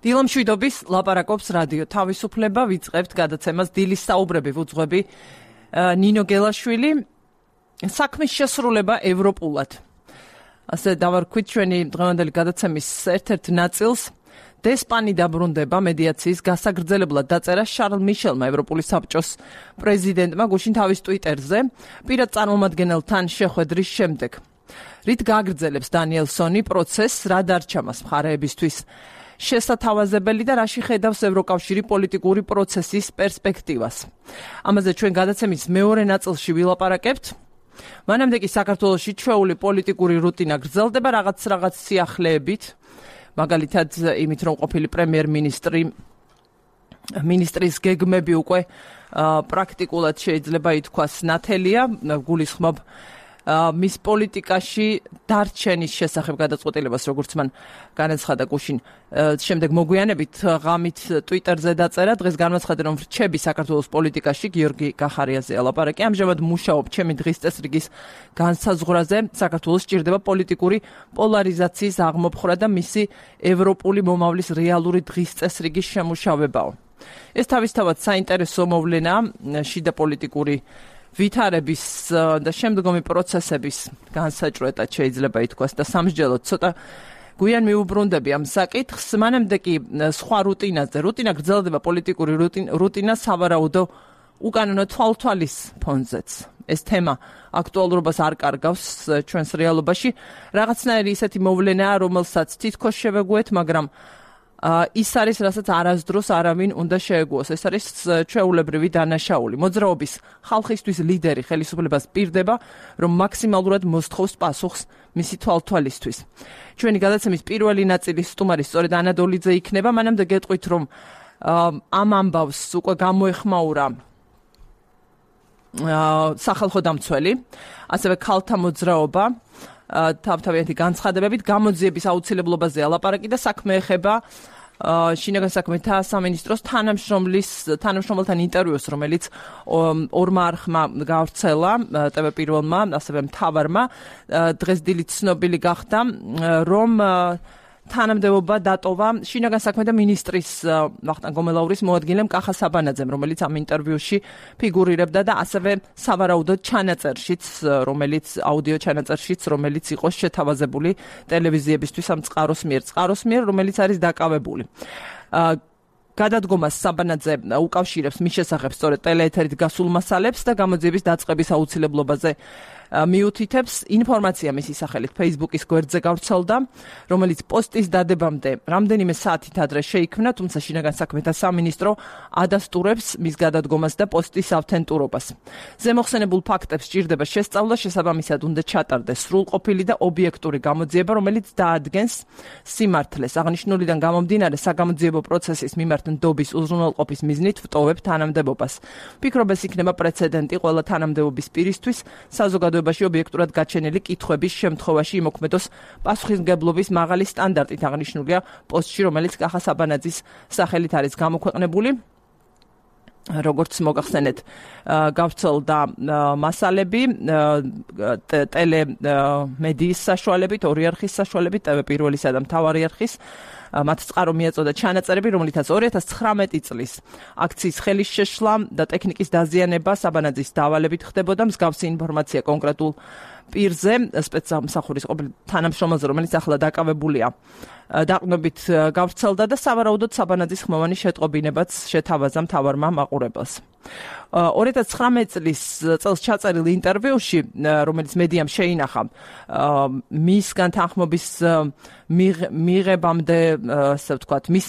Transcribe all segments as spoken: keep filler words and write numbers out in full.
დილამ შვიდობის ლაპარაკობს რადიო თავისუფლება, ვიწყებთ გადაცემას დილის საუბრები ვუძღვები ნინო გელაშვილი, საქმის შესრულება ევროპულად. ასე დავარქვით ჩვენი დღევანდელი გადაცემის ერთ-ერთ ნაწილს. დესპანი დაბრუნდება მედიაციის გასაგრძელებლად დაწერა შარლ მიშელმა, ევროპული საბჭოს პრეზიდენტმა, გუშინ თავის ტვიტერზე, პირად წარმომადგენელთან შეხვედრის შემდეგ. რით გააგრძელებს დანიელსონი პროცესს, რა დარჩა მას მხარეებისთვის შესათავაზებელი და რაში ხედავს ევროკავშირი პოლიტიკური პროცესის პერსპექტივას. ამაზე ჩვენ გადაცემის მეორე ნაწილში ვილაპარაკებთ. მანამდე კი საქართველოში ჩვეული პოლიტიკური რუტინა გრძელდება რაღაც რაღაც სიახლეებით, მაგალითად იმით, რომ ყოფილი პრემიერ-მინისტრი მინისტრის გეგმები უკვე პრაქტიკულად შეიძლება ითქვას ნათელია, გულისხმობ მის პოლიტიკაში დარჩენის შესახებ გადაწყვეტილებას, როგორც მან განაცხადა გუშინ. შემდეგ მოგვიანებით ღამით ტვიტერზე დაწერა, დღეს განაცხადა, რომ რჩები საქართველოს პოლიტიკაში, გიორგი გახარიაზე ელაპარაკი, ამჟამად მუშაობ ჩემი დღის წესრიგის განსაზღვრაზე, საქართველოს სჭირდება პოლიტიკური პოლარიზაციის აღმოფხვრა და მისი ევროპული მომავლის რეალური დღის წესრიგის შემუშავებაო. ეს თავისთავად საინტერესო მოვლენაა შიდა პოლიტიკური ვითარების და შემდგომი პროცესების განსაჭრელად შეიძლება ითქვას და სამსჯელოდ ცოტა გვიან მიუბრუნდები ამ საკითხს. მანამდე კი სხვა რუტინაზე, რუტინა გრძელდება პოლიტიკური რუტინა სავარაუდო უკანონო თვალთვალის ფონზეც. ეს თემა აქტუალურობას არ კარგავს ჩვენს რეალობაში. რაღაცნაირი ისეთი მოვლენაა, რომელსაც თითქოს შევეგუეთ, მაგრამ ის არის, რასაც არასდროს არავინ უნდა შეეგუოს. ეს არის ჩვეულებრივი დანაშაული. მოძრაობის ხალხისთვის ლიდერი ხელისუფლებას პირდება, რომ მაქსიმალურად მოსთხოვს პასუხს მისი თვალთვალისთვის. ჩვენი გადაცემის პირველი ნაწილის სტუმარი სწორედ ანა დოლიძე იქნება. მანამდე გეტყვით, რომ ამ ამბავს უკვე გამოეხმაურა სახალხო დამცველი, ასევე ქალთა მოძრაობა თავთავიანთი განცხადებებით გამოძიების აუცილებლობაზე ალაპარაკი და საქმე ეხება შინაგან საქმეთა სამინისტროს თანამშრომლის თანამშრომელთან ინტერვიუს, რომელიც ორმა არხმა გავრცელა, ტევ პირველმა, ასევე მთავარმა. დღეს დილით ცნობილი გახდა, რომ თანამდებობა დატოვა შინაგან საქმეთა მინისტრის ვახტანგ გომელაურის მოადგილემ კახა საბანაძემ, რომელიც ამ ინტერვიუში ფიგურირებდა და ასევე სავარაუდოდ ჩანაწერშიც, რომელიც აუდიო ჩანაწერშიც, რომელიც იყო შეთავაზებული ტელევიზიებისთვის ამ წყაროს მიერ, წყაროს მიერ, რომელიც არის დაკავებული. გადადგომას საბანაძე უკავშირებს მის შესახებ სწორედ ტელეეთერით გასულ მასალებს და გამოძიების დაწყების აუცილებლობაზე მიუთითებს. ინფორმაცია მისი სახელით Facebook-ის გვერდზე გავრცელდა, რომელიც პოსტის დადებამდე რამდენიმე საათით ადრე შეიქმნა, თუმცა შინაგან საქმეთა სამინისტრო ადასტურებს მის გადადგომას და პოსტის ავთენტურობას. ზემოხსენებულ ფაქტებს სჭირდება შესწავლა, შესაბამისად უნდა ჩატარდეს სრულყოფილი და ობიექტური გამოძიება, რომელიც დაადგენს სიმართლეს. აღნიშნულიდან გამომდინარე, საგამოძიებო პროცესის მიმართ ნდობის უზრუნველყოფის მიზნით ვტოვებ თანამდებობას. ვფიქრობ, ეს იქნება პრეცედენტი ყველა თანამდებობის პირისთვის, საზოგადოებაში ობიექტურად გაჩენილი კითხვების შემთხვევაში იმოქმედოს პასუხისმგებლობის მაღალი სტანდარტით, აღნიშნულია პოსტში, რომელიც კახა საბანაძის სახელით არის გამოქვეყნებული. როგორც მოგახსენეთ, გავრცელდა მასალები ტელემედიის საშუალებით, ორი არხის საშუალებით, ტევ პირველისა და მთავარი არხის. მათ წყარო მიაწოდა ჩანაწერები, რომლითაც ორი ათას ცხრამეტი წლის აქციის ხელის შეშლა და ტექნიკის დაზიანება საბანაძის დავალებით ხდებოდა. მსგავსი ინფორმაცია კონკრეტულ პირზე, სპეცსამსახურის ყოფილი თანამშრომელზე, რომელიც ახლა დაკავებულია, დაყრდნობით გავრცელდა და სავარაუდოდ საბანაძის ხმოვანი შეტყობინებაც შეთავაზა მთავარმა მაყურებელს. ორი ათას ცხრამეტი წლის წელს ჩაწერილ ინტერვიუში, რომელიც მედიამ შეინახა, მისგან თანხმობის მიღებამდე, ასე ვთქვათ, მის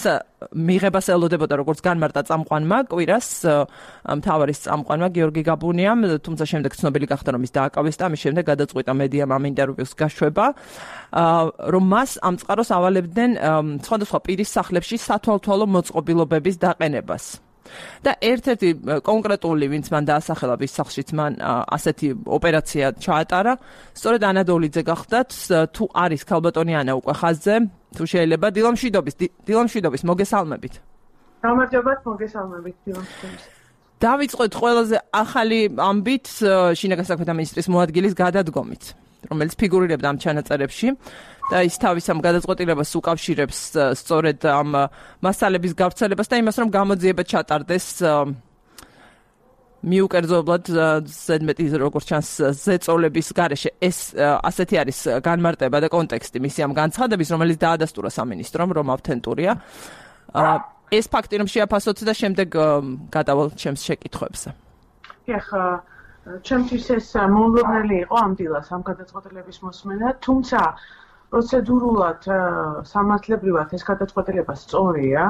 მიღებას ელოდებოდა როგორც განმარტა წამყვანმა კვირას, მთავარის წამყვანმა გიორგი გაბუნიამ, თუმცა შემდეგ ცნობილი გახდა, რომ ის დააკავეს და ამის შემდეგ გადაწყვიტა მედიამ ამ ინტერვიუს გაშვება, რომ მას ამ წყაროს ავალებდნენ სხვადასხვა პირის სახლებში სათვალთვალო მოწყობილობების დაყენებას. და ერთ-ერთი კონკრეტული, ვინც მან დაასახელა, ვის სახლშიც მან ასეთი ოპერაცია ჩაატარა, სწორედ ანა დოლიძე გახდათ, თუ არის ქალბატონი ანა უკვე ხაზზე, თუ შეიძლება დილამ შვიდობის, დილამ შვიდობის, მოგესალმებით. გამარჯობათ, მოგესალმებით, დილამ შვიდობის. დავიწყოთ ყველაზე ახალი ამბით შინაგან საქმეთა მინისტრის მოადგილის გადადგომით, რომელიც ფიგურირებდა ამ ჩანაწერებში და ის თავის ამ გადაწყვეტილებას უკავშირებს სწორედ ამ მასალების გავრცელებას და იმას, რომ გამოძიება ჩატარდეს მიუკერძოებლად ზედმეტი როგორც ჩანს ზეწოლების გარეშე. ეს ასეთი არის განმარტება და კონტექსტი მისი ამ განცხადების, რომელიც დაადასტურა სამინისტრომ, რომ ავთენტურია. ეს ფაქტი რომ შეაფასოთ და შემდეგ გადავალ ჩემს შეკითხვებზე. ეხლა ჩემთვის ეს მოულოდნელი იყო ამ დილას ამ გადაწყვეტილების მოსმენა, თუმცა პროცედურულად სამართლებრივად ეს გადაწყვეტილება სწორია.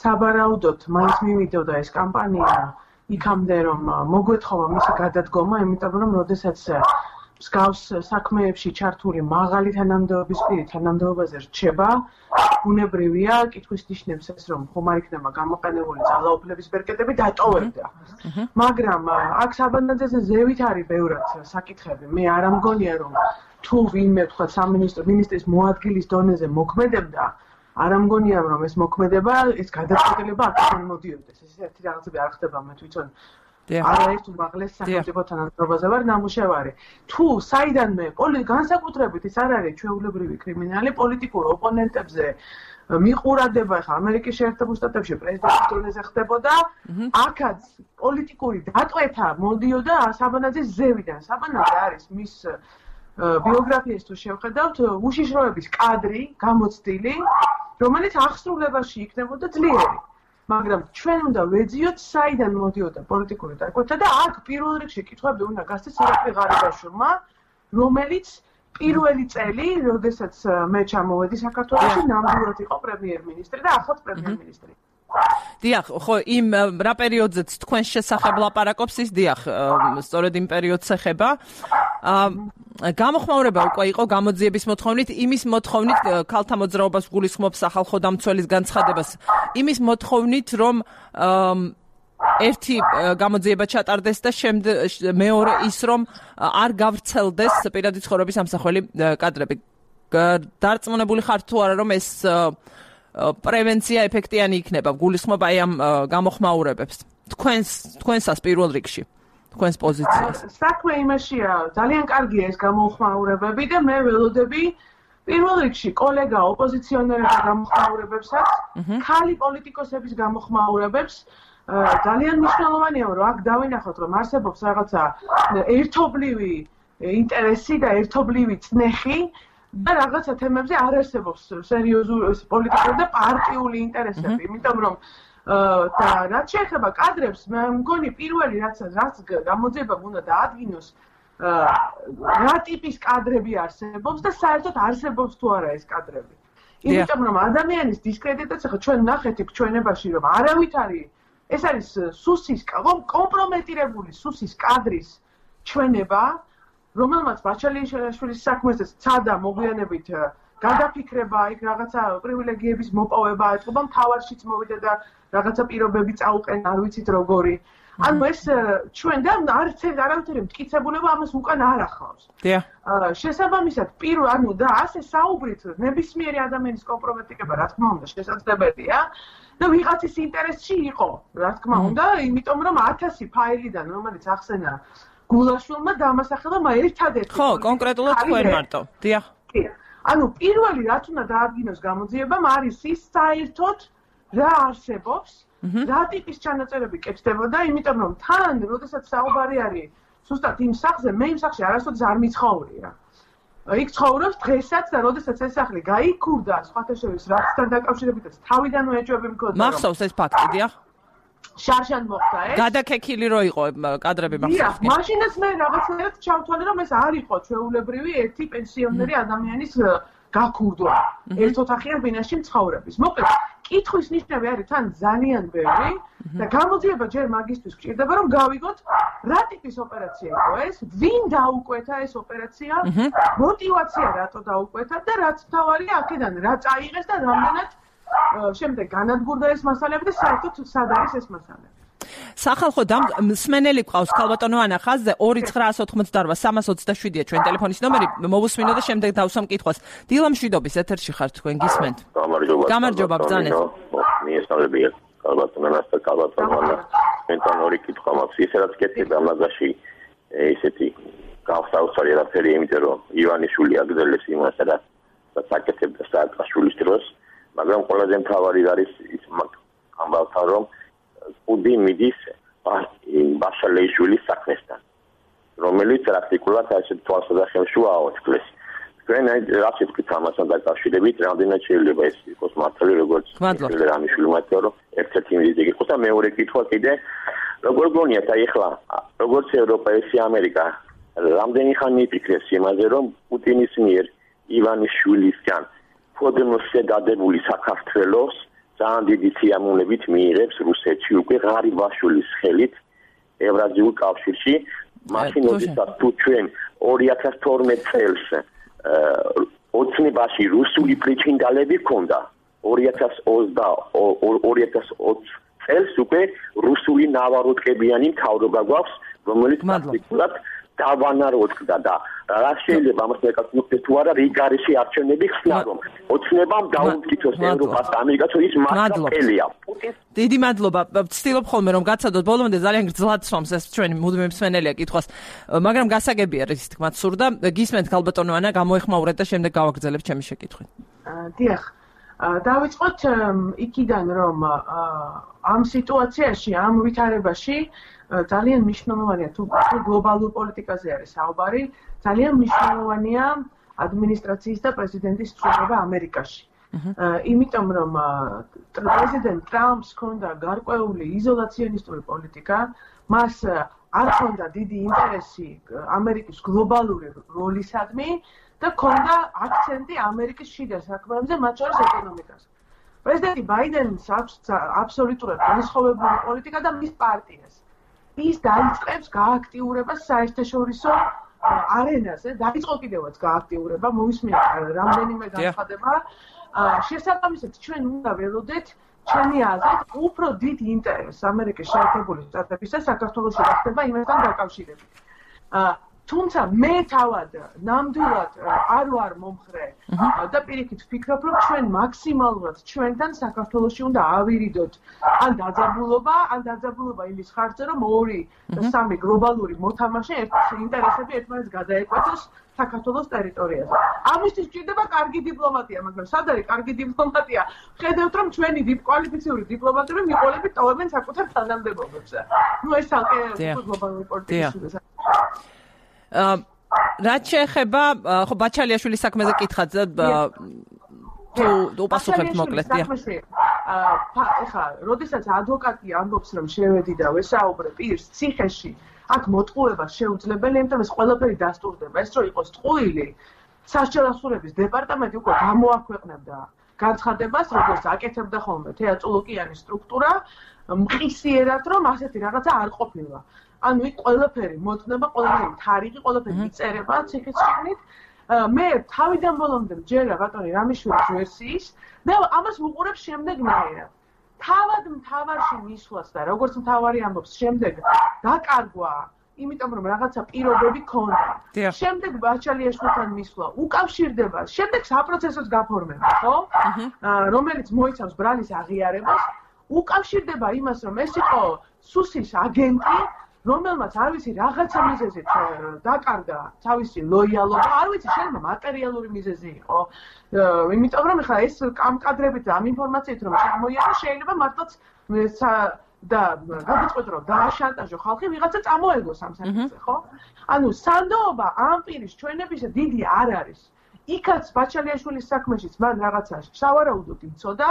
საბარაუდოდ მაინც მივიდოდა ეს კამპანია იქამდე რომ მოგვეთხოვა მისი გადადგომა, იმიტომ რომ როდესაც მსგავს საქმეებში ჩართული მაღალი თანამდებობის პირი თანამდებობაზე რჩება, ბუნებრივია კითხვის ნიშნებს ეს რომ ხომ არ იქნება გამოყენებული ძალაუფლების ბერკეტები დატოვებდა. მაგრამ აქ საბანაძეზე ზევით არის ბევრად საკითხები. მე არ ამგონია რომ თუ ვინმე თქვა სამინისტრო მინისტრის მოადგილის დონეზე მოქმედებდა, არ ამგონია რომ ეს მოქმედება, ეს გადაწყვეტილება აქედან მოდიოდეს. ეს ერთი რაღაცები არ ხდება, მე თვითონ არაერთ უმაღლეს სახელმწიფო თანამდებობაზე ვარ ნამუშევარი. თუ საიდანმე განსაკუთრებით ეს არ არის ჩვეულებრივი კრიმინალი პოლიტიკურ ოპონენტებზე მიყურადება, ხა ამერიკის შეერთებულ შტატებში პრეზიდენტის დონეზე ხდებოდა, აქაც პოლიტიკური დატვეთა მოდიოდა საბანაძის ზევიდან. საბანაძე არის მის ბიოგრაფიას თუ შევხედავთ, უშიშროების კადრი, გამოცდილი, რომელიც აღსრულებაში იქნებოდა ძლიერი. მაგრამ ჩვენ უნდა ვეძიოთ საიდან მოდიოდა პოლიტიკური დატვეთა და აქ პირველ რიგში კითხვები უნდა გასცეს ირაკლი ღარიბაშვილმა, რომელიც პირველი წელი, როდესაც მე ჩამოვედი საქართველოში, ნამდვილად იყო პრემიერ-მინისტრი და ახლაც პრემიერ-მინისტრი. დიახ, ხო, იმ რა პერიოდზეც თქვენ შესახებ ლაპარაკობს ის დიახ, სწორედ იმ პერიოდს ეხება. გამოხმაურება უკვე იყო გამოძიების მოთხოვნით, იმის მოთხოვნით ქალთა მოძრაობას გულისხმობს სახალხო დამცველის განცხადებას, იმის მოთხოვნით, რომ ერთი გამოძიება ჩატარდეს და შემდეგ მეორე ის, რომ არ გავრცელდეს პირადი ცხოვრების ამსახველი კადრები. დარწმუნებული ხართ თუ არა, რომ ეს პრევენცია ეფექტიანი იქნება, გულისხმობ აი ამ გამოხმაურებებს. თქვენს თქვენსას პირველ რიგში, თქვენს პოზიციას. საქმე იმაშია, ძალიან კარგია ეს გამოხმაურებები და მე ველოდები პირველ რიგში კოლეგა ოპოზიციონერების გამოხმაურებებსაც, ქალი პოლიტიკოსების გამოხმაურებებს. ძალიან მნიშვნელოვანია, რომ აქ დავინახოთ, რომ არსებობს რაღაცა ერთობლივი ინტერესი და ერთობლივი წნეხი და რაღაცა თემებზე არ არსებობს სერიოზული პოლიტიკური და პარტიული ინტერესები, იმიტომ რომ და რაც შეეხება კადრებს, მე მგონი პირველი რაც რაც გამოძიებამ უნდა დაადგინოს, რა ტიპის კადრები არსებობს და საერთოდ არსებობს თუ არა ეს კადრები. იმიტომ რომ ადამიანის დისკრედიტაცია, ხო ჩვენ ნახეთ იქ ჩვენებაში რომ არავით არის, ეს არის სუსის კომპრომეტირებული სუსის კადრის ჩვენება, რომელმაც ბაჩალიშვილის საქმეზე ცადა მოგვიანებით გადაფიქრება, იქ რაღაცა პრივილეგიების მოპოვება აწყობა, მთავარშიც მოვიდა და რაღაცა პირობები წაუყენა, არ ვიცით როგორი. ანუ ეს ჩვენ და არც არავითარი მტკიცებულება ამას უკან არ ახლავს. შესაბამისად, პირველ ანუ და ასე საუბრით, ნებისმიერი ადამიანის კომპრომეტირება, რა თქმა უნდა, შესაძლებელია და ვიღაცის ინტერესში იყო, რა თქმა უნდა, იმიტომ რომ ათასი ფაილიდან, რომელიც ახსენა გულაშვილმა დამასახელებმა ერთადერთი. ხო, კონკრეტულად თქვენ მარტო. დიახ. ანუ პირველი რაც უნდა დაადგინოს გამოძიებამ არის ის საერთოდ რა არსებობს, რა ტიპის ჩანაწერები კეთდებოდა, იმიტომ რომ თან, როდესაც საუბარი არის ზუსტად იმ სახლზე, მე იმ სახლში არასოდეს არ მიცხოვრია. იქ ცხოვრობს დღესაც და როდესაც ეს სახლი გაიქურდა, სხვათა შორის რაცთან დაკავშირებითაც თავიდანვე ეჭვები მქონდა. მახსოვს ეს ფაქტი, დიახ. შარშან მოხდა ეს. გადაკექილი რო იყო კადრები მახსოვს. დიახ, მაშინაც მე რაღაცნაირად ჩავთვალე რომ ეს არ იყო ჩვეულებრივი ერთი პენსიონერი ადამიანის გაქურდვა ერთ ოთახიან ბინაში მცხოვრების. მოკლედ, კითხვის ნიშნები არის თან ძალიან ბევრი და გამოძიება ჯერ მაგისტრის გჭირდება რომ გავიგოთ რა ტიპის ოპერაცია იყო ეს, ვინ დაუკვეთა ეს ოპერაცია, мотиваცია რატო დაუკვეთა და რაც თავარია აქედან რა წაიღეს და რამდენად შემდეგ განადგურდა ეს მასალები და საერთოდ სად არის ეს მასალები. სახალხო მსმენელი ყავს ქალბატონო ანა ხაზზე ორი ცხრაას ოთხმოცდაორვა სამას ოცდაშვიდია ჩვენ ტელეფონის ნომერი, მოვუსმინო და შემდეგ დავსვამ კითხვას. დილა მშვიდობის ეთერში ხართ თქვენ გისმენთ. გამარჯობა. გამარჯობა ბრძანეთ. მიესალმებია ქალბატონო ანას და ქალბატონო ანა. მენთან ორი კითხვა მაქვს. ისე რაც კეთდება მაგაში ესეთი გავსაუბრე არაფერი, იმიტომ რომ ივანიშვილი აგზელებს იმას, რაც საკეთებდა სააკაშვილის დროს, მაგრამ ყველაზე მთავარი არის ის ამბავთან, რომ კუდი მიდის ბაშალეიშვილის საქმესთან, რომელიც პრაქტიკულად ასეთ თვალსაჩინოა თქლის. თქვენ რაც ითქვით ამასთან დაკავშირებით, რამდენად შეიძლება ეს იყოს მართალი, როგორც რამიშვილი მათო, რომ ერთ-ერთი მიზეზი იყოს და მეორე კითხვა კიდე, როგორ გონიათ აი ახლა, როგორც ევროპა, ესე ამერიკა, რამდენი ხანი იფიქრებს იმაზე, რომ პუტინის მიერ ივანიშვილისგან ფოდნოსზე დადებული საქართველოს ძალიან დიდი სიამოვნებით მიიღებს რუსეთში უკვე ღარიბაშვილის ხელით ევრაზიულ კავშირში, მაშინ როდესაც თუ ჩვენ ორი ათას თორმეტ წელს ოცნებაში რუსული პრიჩინდალები ქონდა, ორი ათას ოცი წელს უკვე რუსული ნავაროტკებიანი მთავრობა გვაქვს, რომელიც პრაქტიკულად დავანაროდგა და რა შეიძლება ამას მეკავშირდეს თუ არა რიგარისი არჩევნები ხსნა რომ ოცნებამ დაუმტკიცოს ევროპას და ამერიკას ის მართლია. დიდი მადლობა. ვცდილობ ხოლმე რომ გაცადოთ ბოლომდე ძალიან გრძლად სვამს ეს ჩვენი მუდმივი მსმენელია კითხვას, მაგრამ გასაგებია რის თქმაც სურდა. გისმენთ ქალბატონო ანა, გამოეხმაურეთ და შემდეგ გავაგრძელებთ ჩემი შეკითხვით. დიახ. დავიწყოთ იქიდან რომ ამ სიტუაციაში, ამ ვითარებაში ძალიან მნიშვნელოვანია თუ გლობალურ პოლიტიკაზე არის საუბარი, ძალიან მნიშვნელოვანია ადმინისტრაციის და პრეზიდენტის ცვლილება ამერიკაში. იმიტომ რომ პრეზიდენტ ტრამპს ჰქონდა გარკვეული იზოლაციონისტური პოლიტიკა, მას არ ჰქონდა დიდი ინტერესი ამერიკის გლობალური როლისადმი და ჰქონდა აქცენტი ამერიკის შიდა საქმეებზე, მათ შორის ეკონომიკაზე. პრეზიდენტი ბაიდენს აქვს აბსოლუტურად განსხვავებული პოლიტიკა და მის პარტიას. ის დაიწყებს გააქტიურებას საერთაშორისო არენაზე, დაიწყო კიდევაც გააქტიურება, მოვისმინეთ რამდენიმე განცხადება. შესაბამისად, ჩვენ უნდა ველოდეთ ჩემი აზრით, უფრო დიდ ინტერესს ამერიკის შეერთებული შტატებისა საქართველოში რა ხდება იმასთან დაკავშირებით. თუმცა მე თავად ნამდვილად არ ვარ მომხრე და პირიქით ვფიქრობ, რომ ჩვენ მაქსიმალურად ჩვენთან საქართველოში უნდა ავირიდოთ ან დაძაბულობა, ან დაძაბულობა იმის ხარჯზე, რომ ორი და სამი გლობალური მოთამაშე ერთ ინტერესები ერთმანეთს გადაეკვეთოს საქართველოს ტერიტორიაზე. ამისთვის გვჭირდება კარგი დიპლომატია, მაგრამ სად არის კარგი დიპლომატია? ხედავთ, რომ ჩვენი კვალიფიციური დიპლომატები მიყოლებით ტოვებენ საკუთარ თანამდებობებზე. ნუ ეს ალკე გლობალური პოლიტიკის რაც შეეხება ხო ბაჩალიაშვილის საქმეზე კითხავთ თუ უპასუხებთ მოკლედ დიახ. ახლა როდესაც ადვოკატი ამბობს რომ შევედი და ვესაუბრე პირს ციხეში, აქ მოტყუება შეუძლებელი, იმიტომ რომ ეს ყველაფერი დასტურდება. ეს რო იყოს ტყუილი, სასჯელ ასურების დეპარტამენტი უკვე გამოაქვეყნებდა განცხადებას, როგორც აკეთებდა ხოლმე თეატრულოკიანის სტრუქტურა, მყისიერად რომ ასეთი რაღაცა არ ყოფილა. ანუ იქ ყველაფერი მოწნება, ყველაფერი თარიღი, ყველაფერი იწერება ციხის შიგნით. მე თავიდან ბოლომდე მჯერა ბატონი რამიშვილის ვერსიის და ამას ვუყურებ შემდეგნაირად. თავად მთავარში მისვლას და როგორც მთავარი ამბობს, შემდეგ დაკარგვა, იმიტომ რომ რაღაცა პირობები ქონდა. შემდეგ ბაჩალიაშვილთან მისვლა უკავშირდება, შემდეგ საპროცესოს გაფორმება, ხო? რომელიც მოიცავს ბრალის აღიარებას, უკავშირდება იმას, რომ ეს იყო სუსის აგენტი, რომელმაც არ ვიცი რაღაცა მიზეზით დაკარგა თავისი ლოიალობა, არ ვიცი შეიძლება მატერიალური მიზეზი იყო. იმიტომ რომ ხა ეს ამ კადრებით ამ ინფორმაციით რომ ჩამოიარა, შეიძლება მართლაც და გადაწყვეტ რომ დააშანტაჟო ხალხი ვიღაცა წამოეგოს ამ საკითხზე, ხო? ანუ სანდოობა ამ პირის ჩვენებისა დიდი არ არის. იქაც ბაჩალიაშვილის საქმეშიც მან რაღაცა სავარაუდოდ იცოდა,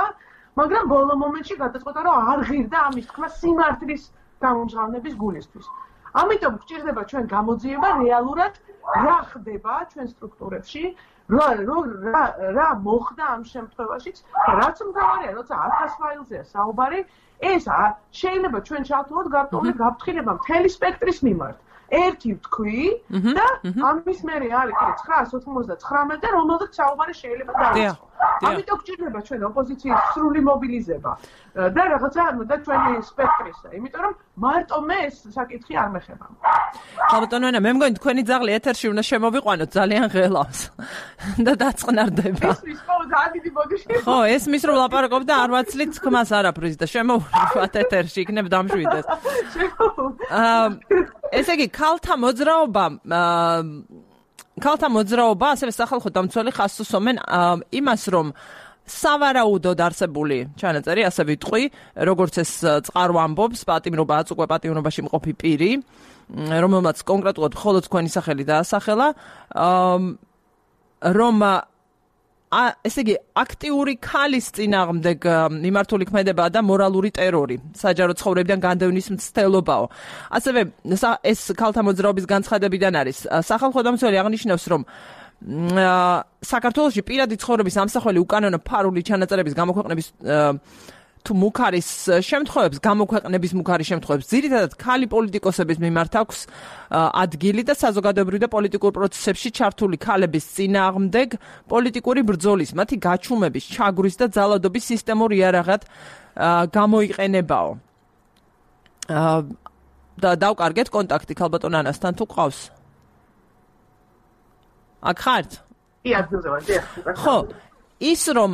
მაგრამ ბოლო მომენტში გადაწყვეტა რომ არ ღირდა ამის თქმა სიმართლის გამომჟღავნების გულისთვის. ამიტომ გვჭირდება ჩვენ გამოძიება რეალურად რა ხდება ჩვენ სტრუქტურებში, რა რა მოხდა ამ შემთხვევაშიც, რაც მთავარია, როცა ათას ფაილზეა საუბარი, ეს შეიძლება ჩვენ ჩავთვალოთ გარკვეული გაფრთხილება მთელი სპექტრის მიმართ. ერთი ვთქვი და ამის მერე არის კიდე ცხრაას ოთხმოცდათხრამეტე, რომელზეც საუბარი შეიძლება დავიწყო. ამიტომ გვჭირდება ჩვენ ოპოზიციის სრული მობილიზება და რაღაცა და ჩვენი სპექტრისა, იმიტომ რომ მარტო მე ეს საკითხი არ მეხება. ხალბატონო ანა, მე მგონი თქვენი ძაღლი ეთერში უნდა შემოვიყვანოთ, ძალიან ღელავს და დაწყნარდება. ისმის ხო ძალიან დიდი ბოდიში. ხო, ესმის რომ ლაპარაკობ და არ ვაცლით თქმას არაფრის და შემოვიყვანოთ ეთერში, იქნებ დამშვიდეს. აა ესე იგი, ქალთა მოძრაობა ქალთა მოძრაობა ასევე სახალხო დამცველი ხაზს უსვამენ იმას, რომ სავარაუდოდ არსებული ჩანაწერი, ასე ვიტყვი, როგორც ეს წყარო ამბობს, პატიმრობა აწუყვე პატიმრობაში მყოფი პირი, რომელმაც კონკრეტულად მხოლოდ თქვენი სახელი დაასახელა, რომ ესე იგი, აქტიური ქალის წინააღმდეგ მიმართული ქმედება და მორალური ტერორი, საჯარო ცხოვრებიდან განდევნის მცდელობაო. ასევე ეს ქალთა მოძრაობის განცხადებიდან არის. სახალხო დამცველი აღნიშნავს, რომ საქართველოში პირადი ცხოვრების ამსახველი უკანონო ფარული ჩანაწერების გამოქვეყნების თუ მუქ არის შემთხვევებს, გამოქვეყნების მუქ არის შემთხვევებს, ძირითადად ქალი პოლიტიკოსების მიმართ აქვს ადგილი და საზოგადოებრივ და პოლიტიკურ პროცესებში ჩართული ქალების წინააღმდეგ პოლიტიკური ბრძოლის, მათი გაჩუმების, ჩაგვრის და ძალადობის სისტემურ იარაღად გამოიყენებაო. და დავკარგეთ კონტაქტი ქალბატონ ანასთან თუ ყავს? აქ ხართ? ხო, ის რომ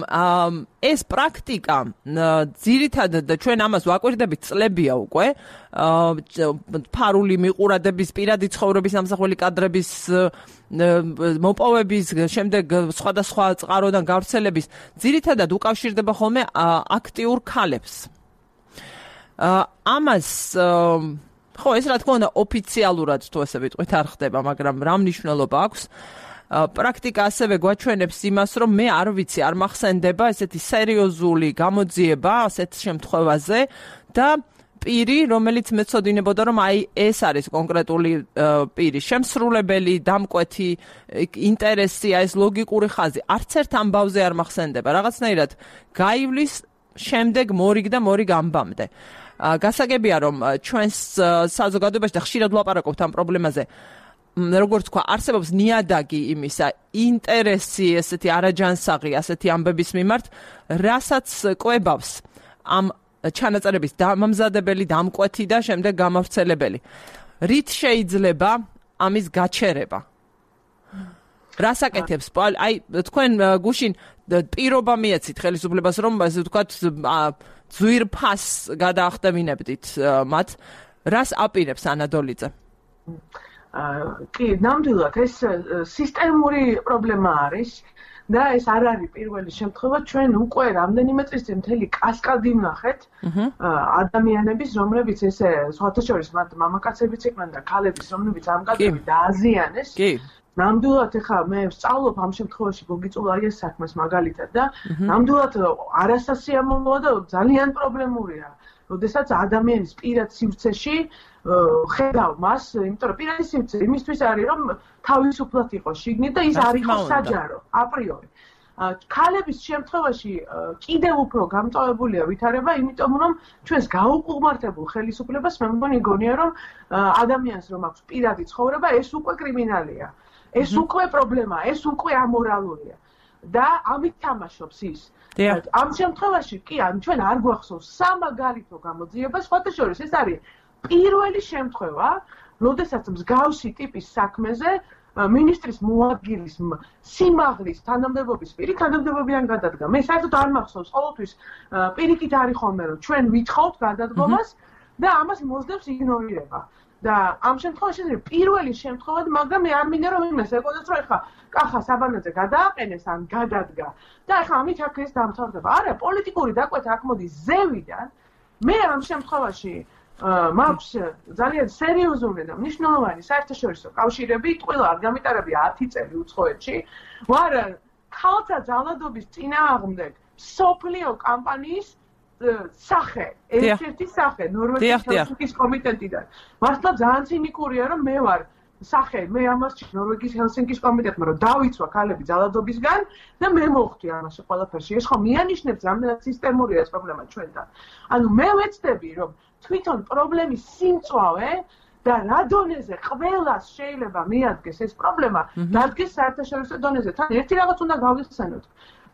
ეს პრაქტიკა ძირითადად ჩვენ ამას ვაკვირდებით წლებია უკვე, ფარული მიყურადების, პირადი ცხოვრების ამსახველი კადრების მოპოვების, შემდეგ სხვადასხვა წყაროდან გავრცელების, ძირითადად უკავშირდება ხოლმე აქტიურ ქალებს. ამას ხო, ეს რა თქმა უნდა ოფიციალურად თუ ესე ვიტყვით არ ხდება, მაგრამ რა მნიშვნელობა აქვს? პრაქტიკა ასევე გვაჩვენებს იმას, რომ მე არ ვიცი, არ მახსენდება ესეთი სერიოზული გამოძიება ასეთ შემთხვევაზე და პირი, რომელიც მეცოდინებოდა, რომ აი ეს არის კონკრეტული პირი, შემსრულებელი, დამკვეთი ინტერესი, ეს ლოგიკური ხაზი, არც ერთ ამბავზე არ მახსენდება. რაღაცნაირად გაივლის შემდეგ მორიგ და მორიგ ამბამდე. გასაგებია, რომ ჩვენს საზოგადოებაში და ხშირად ვლაპარაკობთ ამ პრობლემაზე, როგორც თქვა, არსებობს ნიადაგი იმისა, ინტერესი, ესეთი არაჯანსაღი, ასეთი ამბების მიმართ, რასაც კვებავს ამ ჩანაწერების დამამზადებელი, დამკვეთი და შემდეგ გამავრცელებელი. რით შეიძლება ამის გაჩერება? რას აკეთებს? აი, თქვენ გუშინ პირობა მიეცით ხელისუფლებას, რომ ასე ვთქვათ, ძვირფას გადაახდევინებდით მათ. რას აპირებს ანადოლიძე? კი, ნამდვილად ეს სისტემური პრობლემა არის და ეს არ არის პირველი შემთხვევა, ჩვენ უკვე რამდენიმე წლის წინ მთელი კასკადი ვნახეთ ადამიანების, რომლებიც ესე სხვათა შორის მათ მამაკაცებიც იყვნენ და ქალების, რომლებიც ამ კადრები დააზიანეს. კი. ნამდვილად ეხლა მე ვსწავლობ ამ შემთხვევაში გოგიწულაიას საქმეს მაგალითად და ნამდვილად არასასიამოვნოა და ძალიან პრობლემურია. როდესაც ადამიანის პირად სივრცეში ხედავ მას, იმიტომ რომ პირადი სივრცე იმისთვის არის, რომ თავისუფლად იყოს შიგნით და ის არ იყოს საჯარო, აპრიორი. ქალების შემთხვევაში კიდევ უფრო გამწვავებულია ვითარება, იმიტომ რომ ჩვენს გაუყურმართებულ ხელისუფლებას მე მგონი გონია, რომ ადამიანს რომ აქვს პირადი ცხოვრება, ეს უკვე კრიმინალია. ეს უკვე პრობლემაა, ეს უკვე ამორალურია. და ამით თამაშობს ის. ამ შემთხვევაში კი, ან ჩვენ არ გვახსოვს სამაგალითო გამოძიება, სხვათა შორის ეს არის პირველი შემთხვევა, როდესაც მსგავსი ტიპის საქმეზე მინისტრის მოადგილის სიმაღლის თანამდებობის პირი თანამდებობიდან გადადგა. მე საერთოდ არ მახსოვს, ყოველთვის პირიქით არის ხოლმე, რომ ჩვენ ვითხოვთ გადადგომას და ამას მოსდევს იგნორირება. და ამ შემთხვევაში ეს პირველი შემთხვევა, მაგრამ მე არ მინდა რომ იმას ეკონდეს, რომ ეხლა კახა საბანაძე გადააყენეს ან გადადგა და ეხლა ამით აქ ეს დამთავრდება. არა, პოლიტიკური დაკვეთა აქ მოდის ზევიდან. მე ამ შემთხვევაში მაქვს ძალიან სერიოზული და მნიშვნელოვანი საერთაშორისო კავშირები, ტყუილა არ გამიტარებია ათი წელი უცხოეთში. ვარ ქალთა ძალადობის წინააღმდეგ სოფლიო კამპანიის სახე, ერთ-ერთი სახე, ნორვეგიის ჰელსინკის კომიტეტიდან. მართლა ძალიან ცინიკურია, რომ მე ვარ სახე, მე ამას ნორვეგიის ჰელსინკის კომიტეტმა რომ დავიცვა ქალები ძალადობისგან და მე მოხვდი ამაში ყველაფერში. ეს ხომ მიანიშნებს რამდენად სისტემურია ეს პრობლემა ჩვენთან. ანუ მე ვეცდები, რომ თვითონ პრობლემის სიმწვავე და რა დონეზე ყველას შეიძლება მიადგეს ეს პრობლემა, დადგეს საერთაშორისო დონეზე. თან ერთი რაღაც უნდა გავიხსენოთ.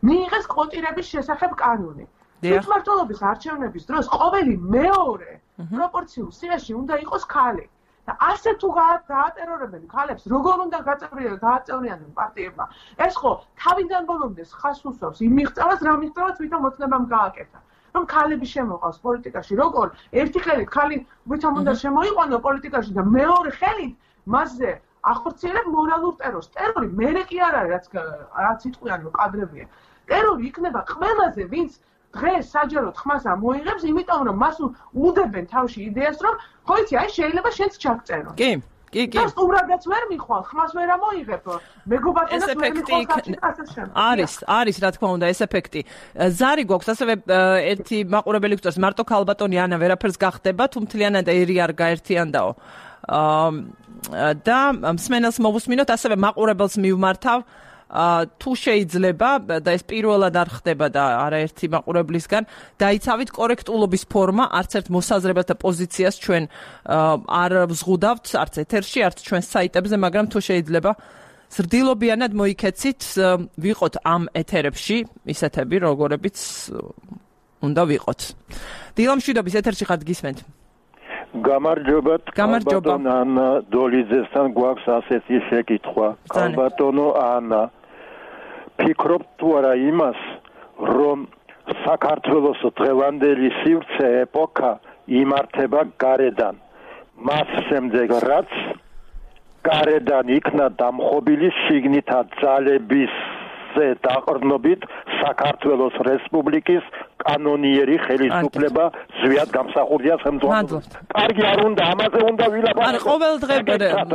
მიიღეს კვოტირების შესახებ კანონი. თვითმმართველობის არჩევნების დროს ყოველი მეორე პროპორციულ სიაში უნდა იყოს ქალი. და ასე თუ გაატერორებენ ქალებს, როგორ უნდა გააწევრიანონ პარტიებმა? ეს ხო თავიდან ბოლომდე ხას უსვავს იმ მიღწევას, რა მიღწევას თვითონ მოწნებამ გააკეთა. რომ ქალები შემოყავს პოლიტიკაში. როგორ ერთი ხელით ხალი ვითომ უნდა შემოიყვანო პოლიტიკაში და მეორე ხელით მასზე ახორციელებ მორალურ ტერორს. ტერორი მერე კი არ არის, რაც რაც იტყვიან კადრებია. ტერორი იქნება ყველაზე, ვინც დღეს საჯაროდ ხმას ამოიღებს, იმიტომ რომ მას უდებენ თავში იდეას, რომ ხო იცი, აი შეიძლება შენც ჩაგწერო. კი, კი, კი. და სტუმრადაც ვერ მიხვალ, ხმას ვერ ამოიღებ. მეგობართანაც ვერ მიხვალ კაცი. არის, არის რა თქმა უნდა ეს ეფექტი. ზარი გვაქვს ასევე ერთი მაყურებელი გვწერს, მარტო ქალბატონი ანა ვერაფერს გახდება, თუ მთლიანად ერი არ გაერთიანდაო. და მსმენელს მოვუსმინოთ, ასევე მაყურებელს მივმართავ. თუ შეიძლება და ეს პირველად არ ხდება და არაერთი მაყურებლისგან დაიცავით კორექტულობის ფორმა, არც ერთ მოსაზრებას და პოზიციას ჩვენ არ ვზღუდავთ, არც ეთერში, არც ჩვენ საიტებზე, მაგრამ თუ შეიძლება ზრდილობიანად მოიქეცით, ვიყოთ ამ ეთერებში, ისეთები, როგორებიც უნდა ვიყოთ. დილამშვიდობის ეთერში ხართ გისმენთ. გამარჯობათ, გამარჯობა. ანა დოლიძესთან გვაქვს ასეთი შეკითხვა. ალბათონო ანა, ფიქრობთ თუ არა იმას, რომ საქართველოს დღევანდელი სივრცე ეპოქა იმართება გარედან. მას შემდეგ რაც გარედან იქნა დამხობილი შიგნითა ძალების დაყრდნობით საქართველოს რესპუბლიკის კანონიერი ხელისუფლება ზვიად გამსახურდია ხელმძღვანელობას. კარგი არ უნდა, ამაზე უნდა ვილაპარაკოთ. არა, ყოველ დღე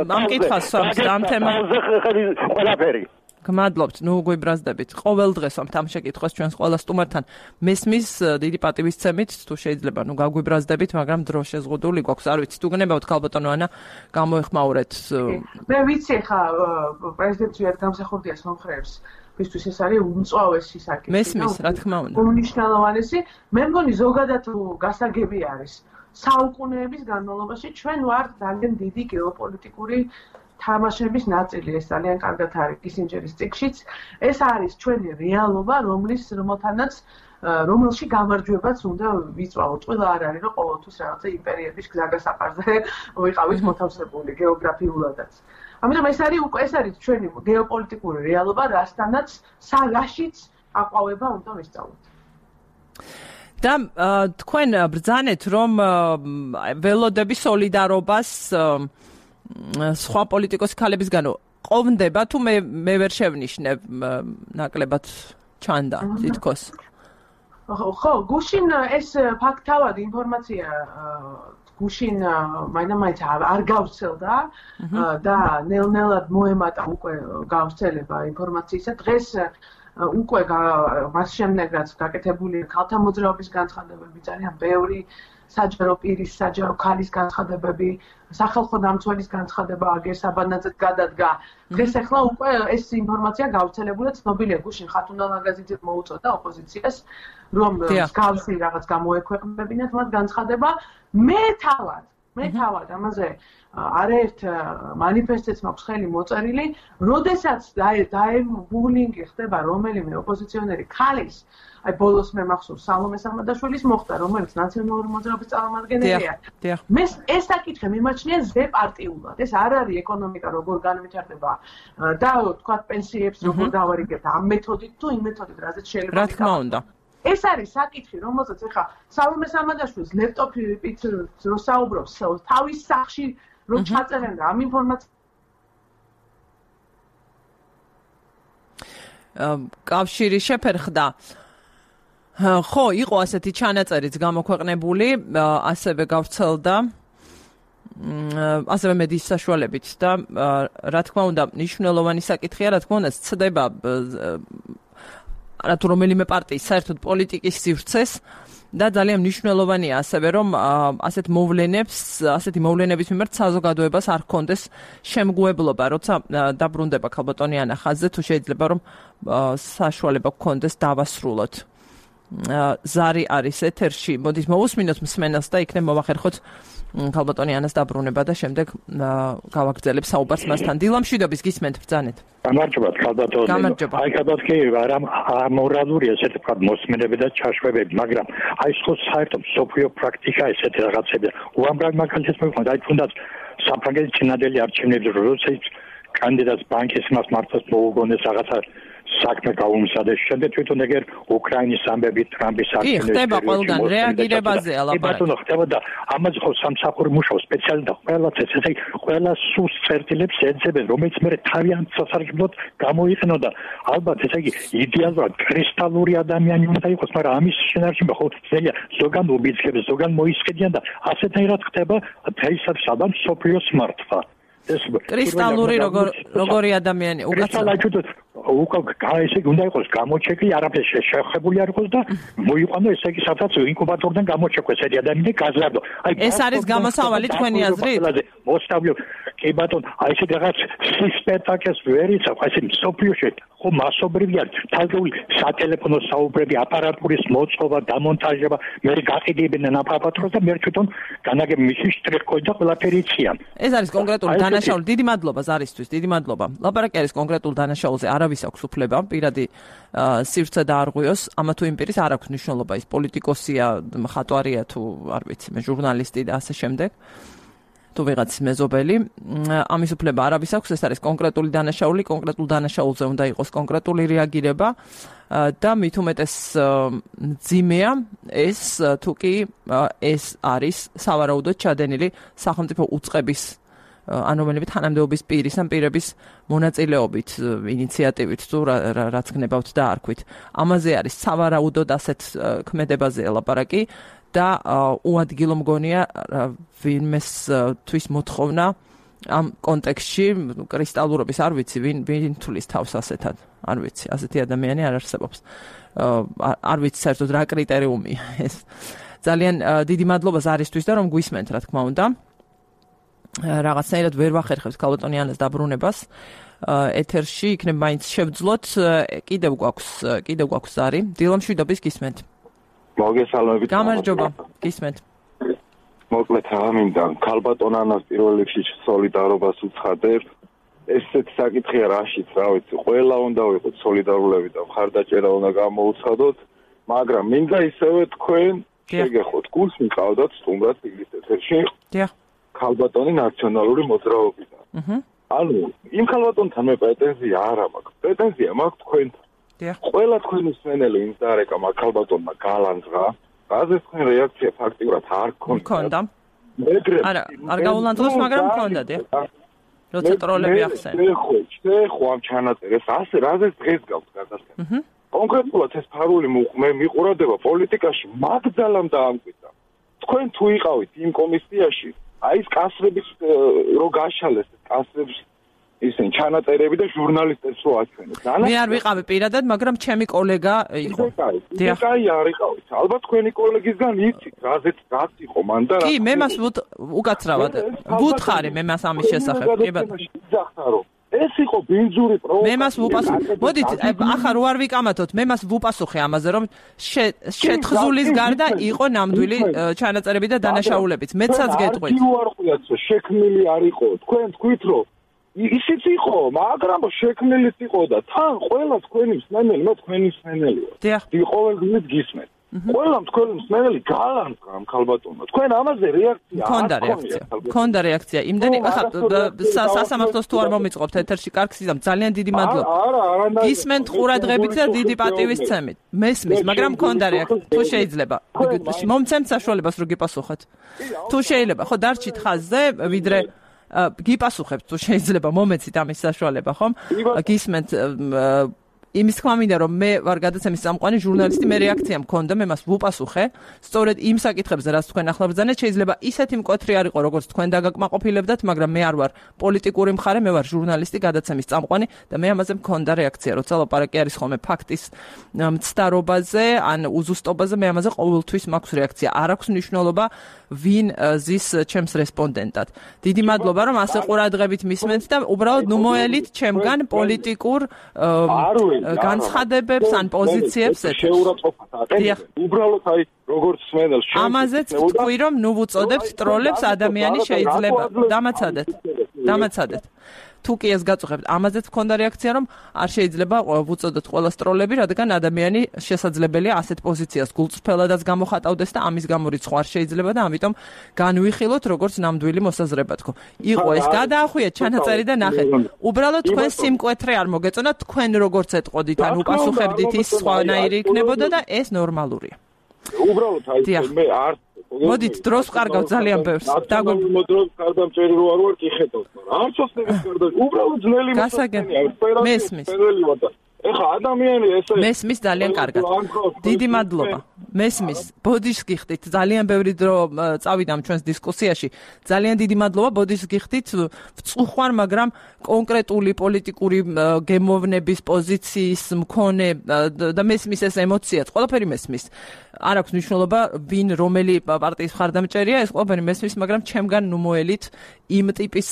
ამ კითხვას ამ თემაზე ყველაფერი. გმადლობთ, ნუ გვიბრაზდებით. ყოველ დღეს ამ თამ შეკითხვას ჩვენს ყველა სტუმართან მესმის დიდი პატივისცემით, თუ შეიძლება, ნუ გაგვიბრაზდებით, მაგრამ დრო შეზღუდული გვაქვს. არ ვიცი, თუ გნებავთ ქალბატონო ანა, გამოეხმაურეთ. მე ვიცი ხა პრეზიდენტ ზვიად გამსახურდიას მომხრეებს. ვისთვის ეს არის უმწვავესი საკითხი. მესმის, რა თქმა უნდა. უმნიშვნელოვანესი, მე მგონი ზოგადად გასაგები არის. საუკუნეების განმავლობაში ჩვენ ვართ ძალიან დიდი გეოპოლიტიკური თამაშების ნაწილი, ეს ძალიან კარგად არის კისინჯერის წიგნშიც. ეს არის ჩვენი რეალობა, რომლის რომელთანაც რომელში გამარჯვებაც უნდა ვიწვავოთ. ყველა არ არის, რომ ყოველთვის რაღაცა იმპერიების გზაგასაყარზე ვიყავით მოთავსებული გეოგრაფიულადაც. ამიტომ ეს არის უკვე ეს არის ჩვენი გეოპოლიტიკური რეალობა, რასთანაც საგაშიც აყვავება უნდა ვისწავლოთ. და თქვენ ბრძანეთ, რომ ველოდები სოლიდარობას სხვა პოლიტიკოსი ქალებისგან ყოფნდება, თუ მე მე ვერ შევნიშნებ ნაკლებად ჩანდა თითქოს. ხო, გუშინ ეს ფაქტთავად ინფორმაცია გუშინ მაინც არ გავრცელდა და ნელ-ნელად მოემატა უკვე გავრცელება ინფორმაციისა. დღეს უკვე მას შემდეგ რაც გაკეთებული ქალთა მოძრაობის განცხადებები, ძალიან ბევრი საჯარო პირის, საჯარო ქალის განცხადებები, სახალხო დამცველის განცხადება აგერ საბანაძედ გადადგა. დღეს ახლა უკვე ეს ინფორმაცია გავრცელებულია, ცნობილია გუშინ ხათუნა ლაგაზიძე მოუწოდა ოპოზიციას, რომ მსგავსი რაღაც გამოექვეყნებინათ მათ განცხადება. მე თავად, მე თავად ამაზე არაერთ მანიფესტებს მაქვს ხელი მოწერილი, როდესაც დაებულინგი ხდება რომელიმე ოპოზიციონერი ქალის, აი ბოლოს მე მახსოვს სალომე სამადაშვილის მოხდა, რომელიც ნაციონალური მოძრაობის წარმომადგენელია. მე ეს საკითხი მიმაჩნია ზე პარტიულად. ეს არ არის ეკონომიკა როგორ განვითარდება და თქვა პენსიებს როგორ დავარიგებთ ამ მეთოდით თუ იმ მეთოდით, რაზეც შეიძლება. რა თქმა უნდა. ეს არის საკითხი, რომელსაც ახლა სალომე სამადაშვილის ლეპტოპით რო საუბრობს თავის სახში რომ ჩაწერენ და ამ ინფორმაციას კავშირი შეფერხდა. ხო, იყო ასეთი ჩანაწერიც გამოქვეყნებული, ასევე გავრცელდა ასევე მედიის საშუალებით და რა თქმა უნდა, მნიშვნელოვანი საკითხია, რა თქმა უნდა, ცდება რა თუ რომელიმე პარტიის საერთოდ პოლიტიკის სივრცეს და ძალიან მნიშვნელოვანია ასევე რომ ასეთ მოვლენებს, ასეთი მოვლენების მიმართ საზოგადოებას არ ჰქონდეს შემგუებლობა, როცა დაბრუნდება ქალბატონი ანა ხაზზე, თუ შეიძლება რომ საშუალება ჰქონდეს დავასრულოთ. ზარი არის ეთერში, მოდით მოვუსმინოთ მსმენელს და იქნებ მოვახერხოთ ქალბატონი ანას დაბრუნება და შემდეგ გავაგრძელებ საუბარს მასთან. დილამშვიდობის გისმენთ ბრძანეთ. გამარჯობათ ქალბატონი. გამარჯობა. აი ქალბატონი არა ამორალურია ესეთი თქვა მოსმენები და ჩაშვებები, მაგრამ აი ხო საერთოდ სოფიო პრაქტიკა ესეთი რაღაცები. უამრავი მაგალითს მოვიხმართ, აი თუნდაც საფრანგეთის ჩინადელი არჩევნებზე როცა კანდიდატს ბანკის მას მართლაც მოუგონეს რაღაცა საქმე გაუმზადეს შემდეგ თვითონ ეგერ უკრაინის ამბები ტრამპის არჩევნების ხდება ყველგან რეაგირებაზეა ლაპარაკი. ბატონო ხდება და ამაზე ხო სამსახური მუშაობს სპეციალისტი და ყველაც ეს ესე ყველა სუს წერტილებს ეძებენ რომელიც მე თავიანთ სასარგებლოდ გამოიყენო და ალბათ ესე იგი იდეალურად კრისტალური ადამიანი უნდა იყოს მაგრამ ამის შენარჩი ხო შეიძლება ზოგან უბიძგებს ზოგან მოისყიდიან და ასეთნაირად ხდება დღეისათვის ალბათ სოფიოს მართვა კრისტალური როგორი ადამიანი უკაცრავად უკა ესე უნდა იყოს გამოჩეკი არაფერს შეხებული არ იყოს და მოიყვანო ესე იგი სადაც ინკუბატორიდან გამოჩეკვეს ეს ადამიანი გაზარდო აი ეს არის გამოსავალი თქვენი აზრით მოსტავლო კი ბატონ აი ესე რაღაც სისპექტაკეს ვერიცა ესე სოფიოში ხო მასობრივია თალგეული სატელეფონო საუბრები აპარატურის მოწყობა დამონტაჟება მე გაყიდებენ აპარატურს და მე თვითონ განაგებ მისი შტრიქკოი და ყველაფერი იციან ეს არის კონკრეტული დანაშაული დიდი მადლობა ზარისთვის დიდი მადლობა ლაპარაკი არის კონკრეტულ დანაშაულზე არავის აქვს უფლება პირადი სივრცე დაარღვიოს ამა თუ იმ პირის არ აქვს მნიშვნელობა ის პოლიტიკოსია მხატვარია თუ არ ვიცი მე ჟურნალისტი და ასე შემდეგ თუ ვიღაც მეზობელი ამის უფლება არავის აქვს ეს არის კონკრეტული დანაშაული კონკრეტულ დანაშაულზე უნდა იყოს კონკრეტული რეაგირება და მით უმეტეს ძიმეა ეს თუ კი ეს არის სავარაუდოდ ჩადენილი სახელმწიფო უწყების ანუ რომელიმე თანამდებობის პირის ან პირების მონაწილეობით ინიციატივით თუ რაც გნებავთ და არქვით ამაზე არის სავარაუდოდ ასეთ ქმედებაზე ლაპარაკი და უადგილო მგონია ვინმეს თვის მოთხოვნა ამ კონტექსტში კრისტალურობის არ ვიცი ვინ ვინ თulis თავს ასეთად არ ვიცი ასეთი ადამიანი არ არსებობს არ ვიცი საერთოდ რა კრიტერიუმია ეს ძალიან დიდი მადლობა ზარისთვის და რომ გვისმენთ რა თქმა უნდა რაღაცნაირად ვერ ვახერხებთ ქალბატონიანის დაბრუნებას ეთერში იქნებ მაინც შევძლოთ კიდევ გვაქვს კიდევ გვაქვს ზარი დილამშვიდობის გისმენთ მოგესალმებით გამარჯობა გისმენთ მოკლედ ამინდა ქალბატონ ანას პირველ რიგში სოლიდარობას უცხადებ ესეც საკითხია რაშიც რა ვიცი ყველა უნდა ვიყოთ სოლიდარულები და მხარდაჭერა უნდა გამოუცხადოთ მაგრამ მინდა ისევე თქვენ შეგეხოთ გულს მიყავდათ სტუმრად იგრის ეთერში დიახ ქალბატონი ნაციონალური მოძრაობიდან აჰა ანუ იმ ქალბატონთან მე პრეტენზია არ მაქვს პრეტენზია მაქვს თქვენთან ყველა თქვენი მსმენელი იმდარეკა მაგ ქალბატონმა გალანძღა რაზე თქვენ რეაქცია ფაქტიურად არ გქონდა არა არ გაულანძღოს მაგრამ გქონდა დიახ როცა ტროლები ახსენე ხო ხო ამ ჩანაწერს ასე რაზე დღეს გავთ გადასცემა კონკრეტულად ეს ფარული მე მიყურადება პოლიტიკაში მაგძალამ დაამკვიდრა თქვენ თუ იყავით იმ კომისიაში აი ეს კასრების რო გაშალეს კასრების ისინი ჩანაწერები და ჟურნალისტებს რო აჩვენეს. მე არ ვიყავი პირადად, მაგრამ ჩემი კოლეგა იყო. დიახ. აი არ იყავით. ალბათ თქვენი კოლეგისგან იცით, რაზეც რაც იყო მან და რა. კი, მე მას უკაცრავად ვუთხარი მე მას ამის შესახებ. კი ბატონო. ეს იყო ბინძური პროვოკაცია. მე მას ვუპასუხე. მოდით, ახლა რო არ ვიკამათოთ, მე მას ვუპასუხე ამაზე, რომ შეთხზულის გარდა იყო ნამდვილი ჩანაწერები და დანაშაულებიც. მეცაც გეტყვით. კი არ ყვიაცო, შექმნილი არ იყო. თქვენ თქვით რომ ისიც იყო, მაგრამ შექმნილიც იყო და თან ყველა თქვენი მსმენელი, მე თქვენი მსმენელია. დიახ. ყოველდღიურად გისმენთ. ყველა თქვენი მსმენელი გალანძღა ამ ქალბატონმა. თქვენ ამაზე რეაქცია არ ქონდა რეაქცია. ქონდა რეაქცია. იმდენი ახლა სასამართლოს თუ არ მომიწყობთ ეთერში კარგს იზამ ძალიან დიდი მადლობა. არა, არა, გისმენთ ყურადღებით და დიდი პატივისცემით. მესმის, მაგრამ ქონდა რეაქცია. თუ შეიძლება. მომცემთ საშუალებას რომ გიპასუხოთ. თუ შეიძლება, ხო დარჩით ხაზზე, ვიდრე გიპასუხებთ თუ შეიძლება მომეცით ამის საშუალება ხომ გისმენთ იმის თქმა მინდა რომ მე ვარ გადაცემის წამყვანი ჟურნალისტი მე რეაქცია მქონდა მე მას ვუპასუხე სწორედ იმ საკითხებზე რაც თქვენ ახლა ბრძანეთ შეიძლება ისეთი მკვეთრი არ იყო როგორც თქვენ დაგაკმაყოფილებდათ მაგრამ მე არ ვარ პოლიტიკური მხარე მე ვარ ჟურნალისტი გადაცემის წამყვანი და მე ამაზე მქონდა რეაქცია როცა ლაპარაკი არის ხოლმე ფაქტის მცდარობაზე ან უზუსტობაზე მე ამაზე ყოველთვის მაქვს რეაქცია არ აქვს მნიშვნელობა ვინ ზის ჩემს რესპონდენტად დიდი მადლობა რომ ასე ყურადღებით მისმენთ და უბრალოდ ნუ მოელით ჩემგან პოლიტიკურ განცხადებებს ან პოზიციებს შეურაცხყოფას აყენებენ. უბრალოდ აი როგორც სმენელს ამაზეც თქვი რომ ნუ ვუწოდებთ ტროლებს ადამიანი შეიძლება დამაცადეთ. დამაცადეთ. თუ კი ეს გაწუხებთ, ამაზეც მქონდა რეაქცია, რომ არ შეიძლება ვუწოდოთ ყველა სტროლები, რადგან ადამიანი შესაძლებელია ასეთ პოზიციას გულწრფელადაც გამოხატავდეს და ამის გამო რიცხვა არ შეიძლება და ამიტომ განვიხილოთ როგორც ნამდვილი მოსაზრება თქო. იყო ეს გადაახვიეთ ჩანაწერი და ნახეთ. უბრალოდ თქვენ სიმკვეთრე არ მოგეწონათ, თქვენ როგორც ეტყოდით, ან უპასუხებდით ის სხვანაირი იქნებოდა და ეს ნორმალურია. უბრალოდ აი მე არ მოდით დროს ვყარგავთ ძალიან ბევრს. დაგვი დროს გარდამჭერი რო არ ვარ კი ხედავთ, მაგრამ არც ოსნების გარდა უბრალოდ ძნელი მოსწონია. მესმის. ეხა ადამიანი ესე მესმის ძალიან კარგად. დიდი მადლობა. მესმის. ბოდიშს გიხდით. ძალიან ბევრი დრო წავიდა ჩვენს დისკუსიაში. ძალიან დიდი მადლობა ბოდიშს გიხდით. ვწუხვარ, მაგრამ კონკრეტული პოლიტიკური გემოვნების პოზიციის მქონე და მესმის ეს ემოციაც, ყველაფერი მესმის. არ აქვს მნიშვნელობა ვინ რომელი პარტიის მხარდამჭერია, ეს ყველაფერი მესმის, მაგრამ ჩემგან ნუ მოელით იმ ტიპის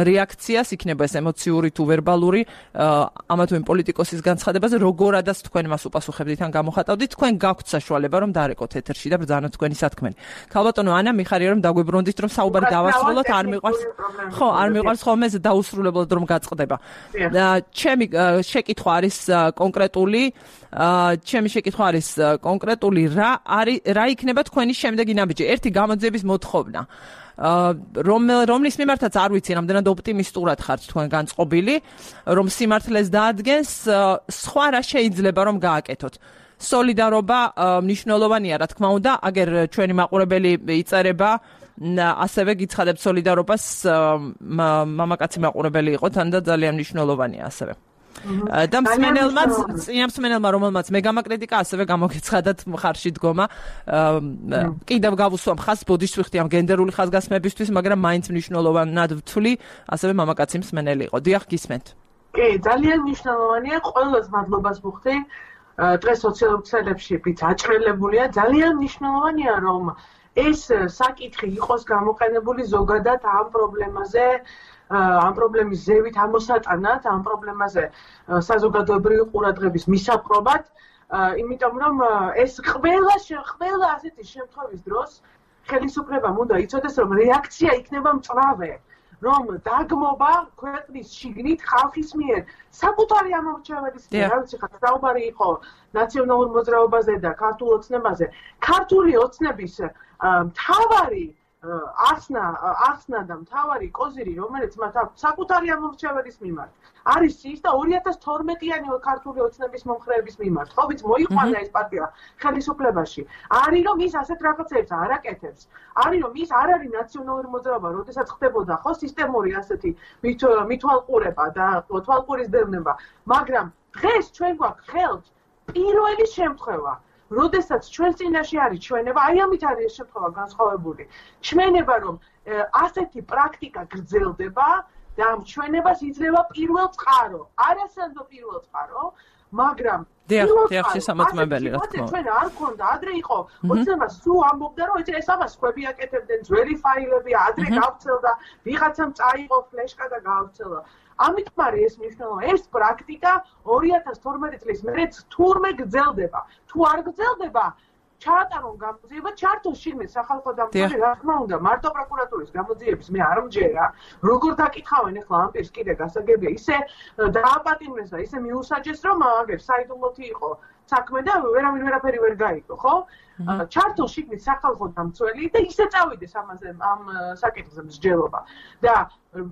რეაქციას, იქნება ეს ემოციური თუ ვერბალური, ამა თუ იმ პოლიტიკოსის განცხადებაზე, როგორადაც თქვენ მას უპასუხებდით ან გამოხატავდით, თქვენ გაქვთ საშუალება რომ დარეკოთ ეთერში და ბრძანოთ თქვენი სათქმელი. ქალბატონო ანა, მიხარია რომ დაგვიბრუნდით, რომ საუბარი დავასრულოთ, არ მიყვარს. ხო, არ მიყვარს ხოლმე დაუსრულებლად რომ გაწყდება. ჩემი შეკითხვა არის კონკრეტული, ჩემი შეკითხვა არის კონკრეტული რა არის რა იქნება თქვენი შემდეგი ნაბიჯი? ერთი გამოძიების მოთხოვნა. რომ რომლის მიმართაც არ ვიცი, რამდენად ოპტიმისტურად ხართ თქვენ განწყობილი, რომ სიმართლეს დაადგენს, სხვა რა შეიძლება რომ გააკეთოთ. სოლიდარობა მნიშვნელოვანია, რა თქმა უნდა, აგერ ჩვენი მაყურებელი იწერება, ასევე გიცხადებთ სოლიდარობას, მამაკაცი მაყურებელი იყო თან და ძალიან მნიშვნელოვანია ასევე. და მსმენელმაც, წინამსმენელმა, რომელმაც მე გამაკრიტიკა, ასევე გამოგეცხადათ მხარში დგომა. კიდევ გავუსვამ ხაზს ბოდიშს ვიხდი ამ გენდერული ხაზგასმებისთვის, მაგრამ მაინც მნიშვნელოვნად ვთვლი, ასევე მამაკაცი მსმენელი იყო. დიახ, გისმენთ. კი, ძალიან მნიშვნელოვანია, ყველას მადლობას ვუხდი. დღეს სოციალურ ქსელებში ვით აჭრელებულია, ძალიან მნიშვნელოვანია, რომ ეს საკითხი იყოს გამოყენებული ზოგადად ამ პრობლემაზე. ამ პრობლემის ზევით ამოსატანად, ამ პრობლემაზე საზოგადოებრივი ყურადღების მისაპყრობად, იმიტომ რომ ეს ყველა ყველა ასეთი შემთხვევის დროს ხელისუფლებამ უნდა იცოდეს, რომ რეაქცია იქნება მწვავე, რომ დაგმობა ქვეყნის შიგნით ხალხის მიერ საკუთარი ამორჩეველის მიერ, რა ვიცი ხა საუბარი იყო ნაციონალურ მოძრაობაზე და ქართულ ოცნებაზე. ქართული ოცნების მთავარი ახსნა ახსნა და მთავარი კოზირი, რომელიც მათ აქვს საკუთარი ამორჩეველის მიმართ, არის ის და ორი ათას თორმეტიანი ქართული ოცნების მომხრეების მიმართ, ხო ვიცი, მოიყვანა ეს პარტია ხელისუფლებაში. არის რომ ის ასეთ რაღაცებს არ აკეთებს. არის რომ ის არ არის ნაციონალური მოძრაობა, როდესაც ხდებოდა ხო სისტემური ასეთი მithვალყურება და თვალყურის დევნება, მაგრამ დღეს ჩვენ გვაქვს ხელთ პირველი შემთხვევა. როდესაც ჩვენ წინაშე არის ჩვენება, აი ამით არის ეს შემთხვევა განსხვავებული. ჩვენება რომ ასეთი პრაქტიკა გრძელდება და ამ ჩვენებას იძლევა პირველ წყარო. არასანდო პირველ წყარო, მაგრამ დიახ, დიახ, შესამოწმებელი რა თქმა უნდა. ჩვენ არ გქონდა, ადრე იყო ოცნებას სულ ამბობდა, რომ ეს ამას ხვები აკეთებდნენ, ძველი ფაილები, ადრე გავცელდა, ვიღაცამ წაიღო ფლეშკა და გავცელა. ამიტომ არის ეს მნიშვნელოვანი. ეს პრაქტიკა ორი ათას თორმეტი წლის მერე თურმე გრძელდება. თუ არ გრძელდება, ჩაატარონ გამოძიება, ჩართონ შიგნით სახალხო დამცველი, რა თქმა უნდა, მარტო პროკურატურის გამოძიების მე არ მჯერა. როგორ დაკითხავენ ახლა ამ პირს კიდე გასაგებია, ისე დააპატიმრეს და ისე მიუსაჯეს, რომ აგერ საიდუმლოთი იყო საქმე და ვერავინ ვერაფერი ვერ გაიგო, ხო? ჩართონ შიგნით სახალხო დამცველი და ისე წავიდეს ამაზე ამ საკითხზე მსჯელობა. და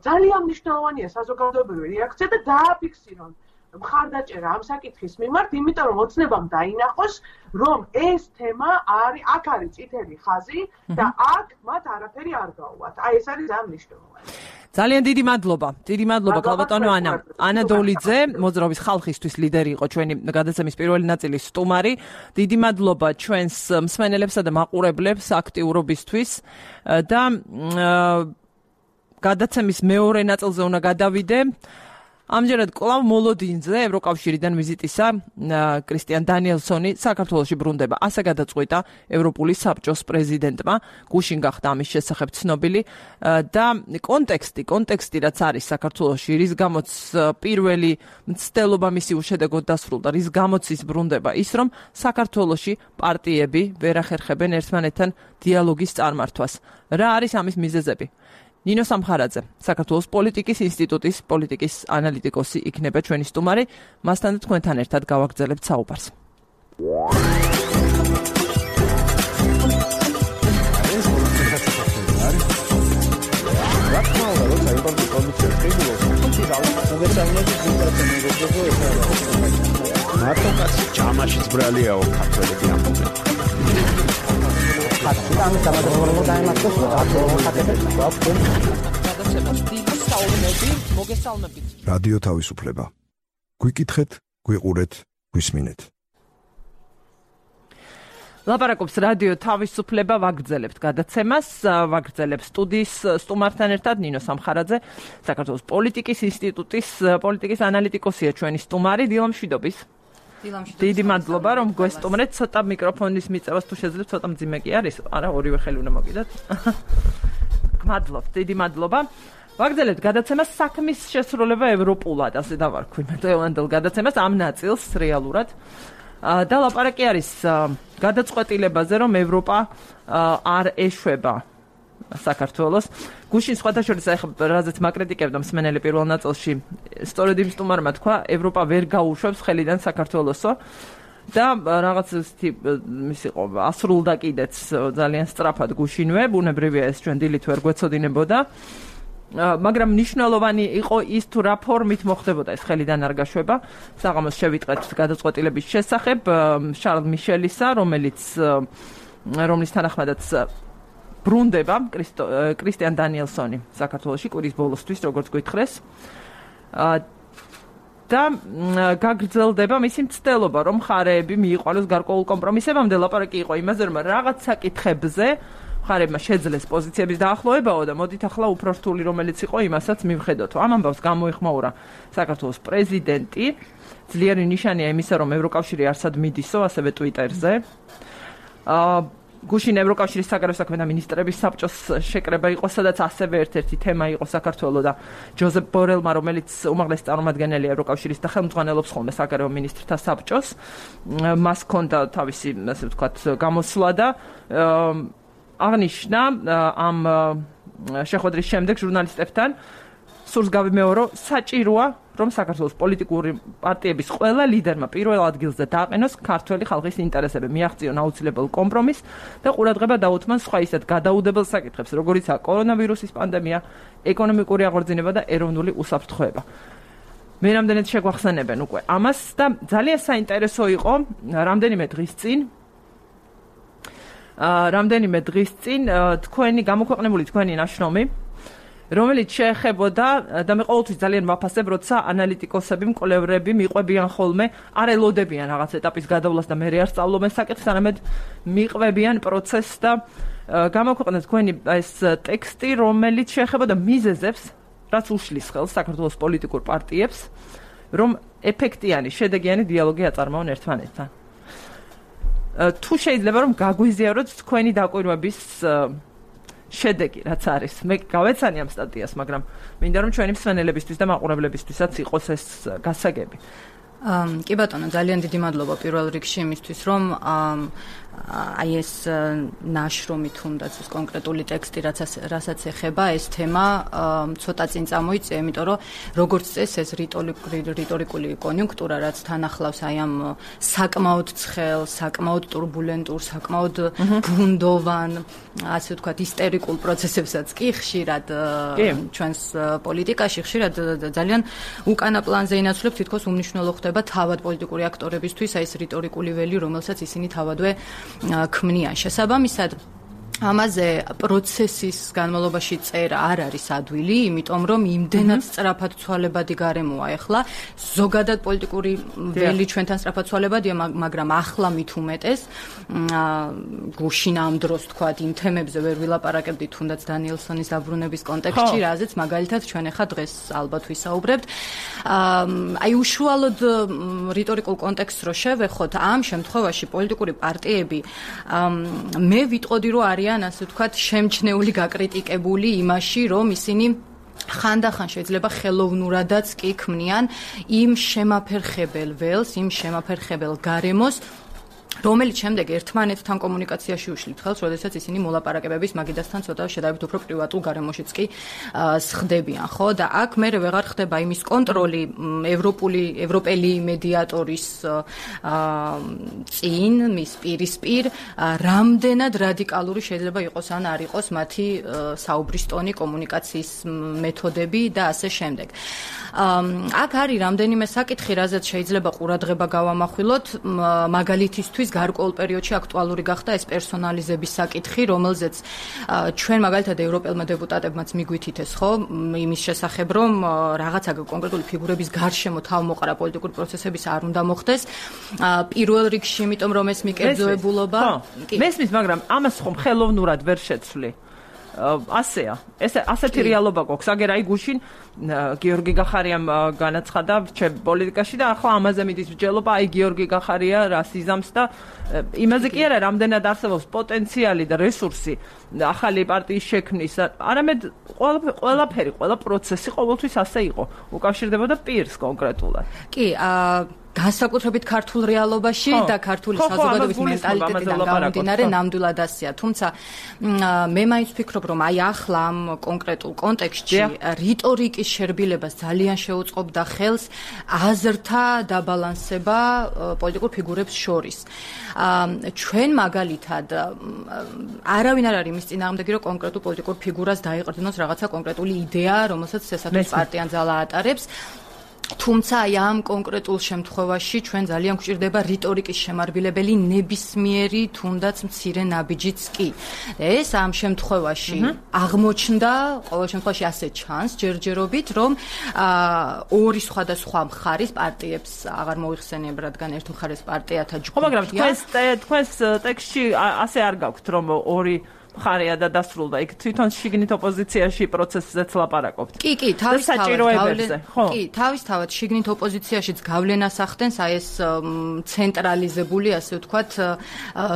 ძალიან მნიშვნელოვანია საზოგადოებრივი რეაქცია და დააფიქსირონ მხარდაჭერა ამ საკითხის მიმართ, იმიტომ რომ ოცნებამ დაინახოს, რომ ეს თემა არის, აქ არის წითელი ხაზი და აქ მათ არაფერი არ გაუვათ. აი ეს არის ძალიან მნიშვნელოვანი. ძალიან დიდი მადლობა. დიდი მადლობა ქალბატონო ანა. ანა დოლიძე, მოძრაობის ხალხისთვის ლიდერი იყო ჩვენი გადაცემის პირველი ნაწილის სტუმარი. დიდი მადლობა ჩვენს მსმენელებსა და მაყურებლებს აქტიურობისთვის და გადაცემის მეორე ნაწილზე უნდა გადავიდე. ამჯერად კლავ მოლოდინზე ევროკავშირიდან ვიზიტისა კრისტიან დანიელსონი საქართველოში ბრუნდება. ასე გადაწყვიტა ევროპული საბჭოს პრეზიდენტმა, გუშინ გახდა ამის შესახებ ცნობილი და კონტექსტი, კონტექსტი რაც არის საქართველოში, რის გამოც პირველი მცდელობა მისი უშედეგოდ დასრულდა, რის გამოც ის ბრუნდება, ის რომ საქართველოში პარტიები ვერ ახერხებენ ერთმანეთთან დიალოგის წარმართვას. რა არის ამის მიზეზები? ნინო სამხარაძე, საქართველოს პოლიტიკის ინსტიტუტის პოლიტიკის ანალიტიკოსი იქნება ჩვენი სტუმარი. მასთან თქვენთან ერთად გავაგრძელებთ საუბარს. მარტოკაც ჯამაშიც ბრალიაო ქართველები ამბობენ. რადიო თავისუფლება. გვიკითხეთ, გვიყურეთ, გვისმინეთ. ლაპარაკობს რადიო თავისუფლება, ვაგრძელებთ გადაცემას, ვაგრძელებთ სტუდიის სტუმართან ერთად ნინო სამხარაძე, საქართველოს პოლიტიკის ინსტიტუტის პოლიტიკის ანალიტიკოსია ჩვენი სტუმარი. დილამშვიდობის. დიდი მადლობა რომ გვესტუმრეთ. ცოტა მიკროფონის მიწევას თუ შეძლებს, ცოტა მძიმე კი არის. არა, ორივე ხელი უნდა მოგიდათ. გმადლობთ, დიდი მადლობა. ვაგრძელებთ გადაცემას საქმის შესრულება ევროპულად, ასე დავარქვი მე დღევანდელ გადაცემას ამ ნაწილს რეალურად. და ლაპარაკი არის გადაწყვეტილებაზე, რომ ევროპა არ ეშვება საქართველოს. გუშინ სხვათაშორის ახლა რაზეც მაკრიტიკებდა მსმენელი პირველ ნაწილში, სწორედ იმ სტუმარმა თქვა, ევროპა ვერ გაუშვებს ხელიდან საქართველოსო და რაღაც ისეთი ის იყო ასრულდა კიდეც ძალიან სწრაფად გუშინვე, ბუნებრივია ეს ჩვენ დილით ვერ გვეცოდინებოდა. მაგრამ მნიშვნელოვანი იყო ის თუ რა ფორმით მოხდებოდა ეს ხელიდან არ გაშვება. საღამოს შევიტყეთ გადაწყვეტილების შესახებ შარლ მიშელისა, რომელიც რომლის თანახმადაც ბრუნდება კრისტიან დანიელსონი საქართველოში კვირის ბოლოსთვის, როგორც გითხრეს. და გაგრძელდება მისი მცდელობა, რომ მხარეები მიიყვანოს გარკვეულ კომპრომისებამდე. ლაპარაკი იყო იმაზე, რომ რაღაც საკითხებზე მხარეებმა შეძლეს პოზიციების დაახლოებაო და მოდით ახლა უფრო რთული რომელიც იყო იმასაც მივხედოთ. ამ ამბავს გამოიხმაურა საქართველოს პრეზიდენტი. ძლიერი ნიშანია იმისა, რომ ევროკავშირი არსად მიდისო, ასევე ტვიტერზე. აა გუშინ ევროკავშირის საგარეო საქმეთა მინისტრების საბჭოს შეკრება იყო, სადაც ასევე ერთ-ერთი თემა იყო საქართველო და ჯოზეფ ბორელმა, რომელიც უმაღლესი წარმომადგენელი ევროკავშირის და ხელმძღვანელობს ხოლმე საგარეო მინისტრთა საბჭოს, მას ჰქონდა თავისი, ასე ვთქვათ, გამოსვლა და აღნიშნა ამ შეხვედრის შემდეგ ჟურნალისტებთან სურს გავიმეორო, საჭიროა რომ საქართველოს პოლიტიკური პარტიების ყველა ლიდერმა პირველ ადგილზე დააყენოს ქართველი ხალხის ინტერესები, მიაღწიონ აუცილებელ კომპრომისს და ყურადღება დაუთმან სხვა ისეთ გადაუდებელ საკითხებს, როგორიცაა კორონავირუსის პანდემია, ეკონომიკური აღორძინება და ეროვნული უსაფრთხოება. მე რამდენად შეგვახსენებენ უკვე ამას და ძალიან საინტერესო იყო რამდენიმე დღის წინ რამდენიმე დღის წინ თქვენი გამოქვეყნებული თქვენი ნაშრომი, რომელიც შეეხებოდა და მე ყოველთვის ძალიან ვაფასებ, როცა ანალიტიკოსები, მკვლევრები მიყვებიან ხოლმე, არ ელოდებიან რაღაც ეტაპის გადავლას და მე არ სწავლობენ საკითხს, არამედ მიყვებიან პროცესს და გამოქვეყნეთ თქვენი ეს ტექსტი, რომელიც შეეხებოდა მიზეზებს, რაც უშლის ხელს საქართველოს პოლიტიკურ პარტიებს, რომ ეფექტიანი, შედეგიანი დიალოგი აწარმოონ ერთმანეთთან. თუ შეიძლება რომ გაგვიზიაროთ თქვენი დაკვირვების შედეგი, რაც არის. მე გავეცანი ამ სტატიას, მაგრამ მინდა რომ ჩვენი მსმენელებისთვის და მაყურებლებისთვისაც იყოს ეს გასაგები. კი ბატონო, ძალიან დიდი მადლობა პირველ რიგში იმისთვის, რომ აი ეს ნაშრომი თუნდაც ეს კონკრეტული ტექსტი, რასაც ეხება ეს თემა, ცოტა წინ წამოიწია, იმიტომ რომ როგორც წესი ეს რიტორიკული კონიუნქტურა, რაც თან ახლავს აი ამ საკმაოდ ცხელ, საკმაოდ турბულენტურ, საკმაოდ ბუნდოვან, ასე ვთქვათ, ისტერიკულ პროცესებსაც კი ხშირად ჩვენს პოლიტიკაში ხშირად ძალიან უკანა პლანზე ინაცვლებს, თითქოს უმნიშვნელო ხდება თავად პოლიტიკური აქტორებისთვის აი ეს რიტორიკული ველი, რომელსაც ისინი თავადვე ქმნიან. შესაბამისად, ამაზე პროცესის განმავლობაში წერა არ არის ადვილი, იმიტომ რომ იმდენად სწრაფად ცვალებადი გარემოა ახლა, ზოგადად პოლიტიკური ველი ჩვენთან სწრაფად ცვალებადია, მაგრამ ახლა მით უმეტეს, გუშინ ამ დროს თქვათ იმ თემებზე ვერ ვილაპარაკებდით, თუნდაც დანიელსონის დაბრუნების კონტექსტში, რაზეც მაგალითად ჩვენ ახლა დღეს ალბათ ვისაუბრებთ. აი უშუალოდ რიტორიკულ კონტექსტს რო შევეხოთ, ამ შემთხვევაში პოლიტიკური პარტიები მე ვიტყოდი რომ არის ასე ვთქვათ, შემჩნეული, გაკრიტიკებული იმაში, რომ ისინი ხანდახან შეიძლება ხელოვნურადაც კი ქმნიან იმ შემაფერხებელ ველს, იმ შემაფერხებელ გარემოს, რომელიც შემდეგ ერთმანეთთან კომუნიკაციაში უშლით ხელს, როდესაც ისინი მოლაპარაკებების მაგიდასთან ცოტა შედარებით უფრო პრივატულ გარემოშიც კი სხდებიან, ხო? და აქ მე ვეღარ ხდება იმის კონტროლი ევროპული, ევროპელი მედიატორის წინ, მის პირისპირ, რამდენად რადიკალური შეიძლება იყოს ან არ იყოს მათი საუბრის ტონი, კომუნიკაციის მეთოდები და ასე შემდეგ. აქ არის რამდენიმე საკითხი, რაზეც შეიძლება ყურადღება გავამახვილოთ, მაგალითისთვის გარკვეულ პერიოდში აქტუალური გახდა ეს პერსონალიზების საკითხი, რომელზეც ჩვენ მაგალითად ევროპელმა დეპუტატებმაც მიგვითითეს, ხო, იმის შესახებ, რომ რაღაცა კონკრეტული ფიგურების გარშემო თავმოყრა პოლიტიკური პროცესების არ უნდა მოხდეს. პირველ რიგში, იმიტომ რომ ეს მიკერძოებულობა მესმის, მაგრამ ამას ხომ ხელოვნურად ვერ შეცვლი. ასეა. ეს ასეთი რეალობა გვაქვს. აგერ აი გუშინ გიორგი გახარიამ განაცხადა ჩემ პოლიტიკაში და ახლა ამაზე მიდის მსჯელობა, აი გიორგი გახარია რას იზამს და იმაზე კი არა, რამდენად არსებობს პოტენციალი და რესურსი ახალი პარტიის შექმნის, არამედ ყველაფერი, ყველა პროცესი ყოველთვის ასე იყო. უკავშირდებოდა პირს კონკრეტულად. კი, აა განსაკუთრებით ქართულ რეალობაში და ქართული საზოგადოების მენტალიტეტიდან გამომდინარე ნამდვილად ასეა. თუმცა მე მაინც ვფიქრობ, რომ აი ახლა ამ კონკრეტულ კონტექსტში რიტორიკის შერბილებას ძალიან შეუწყობდა ხელს აზრთა დაბალანსება პოლიტიკურ ფიგურებს შორის. ჩვენ მაგალითად არავინ არ არის იმის წინააღმდეგი, რომ კონკრეტულ პოლიტიკურ ფიგურას დაიყრდნოს რაღაცა კონკრეტული იდეა, რომელსაც შესაძლოა პარტიან ძალა ატარებს. თუმცა აი ამ კონკრეტულ შემთხვევაში ჩვენ ძალიან გვჭირდება რიტორიკის შემარბილებელი ნებისმიერი თუნდაც მცირე ნაბიჯიც კი. ეს ამ შემთხვევაში აღმოჩნდა, ყოველ შემთხვევაში ასე ჩანს ჯერჯერობით, რომ ორი სხვადასხვა მხარის პარტიებს აღარ მოიხსენიებ, რადგან ერთ მხარეს პარტიათა ჯგუფია. ხო, მაგრამ თქვენს თქვენს ტექსტში ასე არ გაქვთ, რომ ორი მხარეა და დასრულდა. იქ თვითონ შიგნით ოპოზიციაში პროცესზეც ლაპარაკობთ. კი, კი, თავისთავად. კი, თავისთავად შიგნით ოპოზიციაშიც გავლენას ახდენს აი ეს ცენტრალიზებული, ასე ვთქვათ,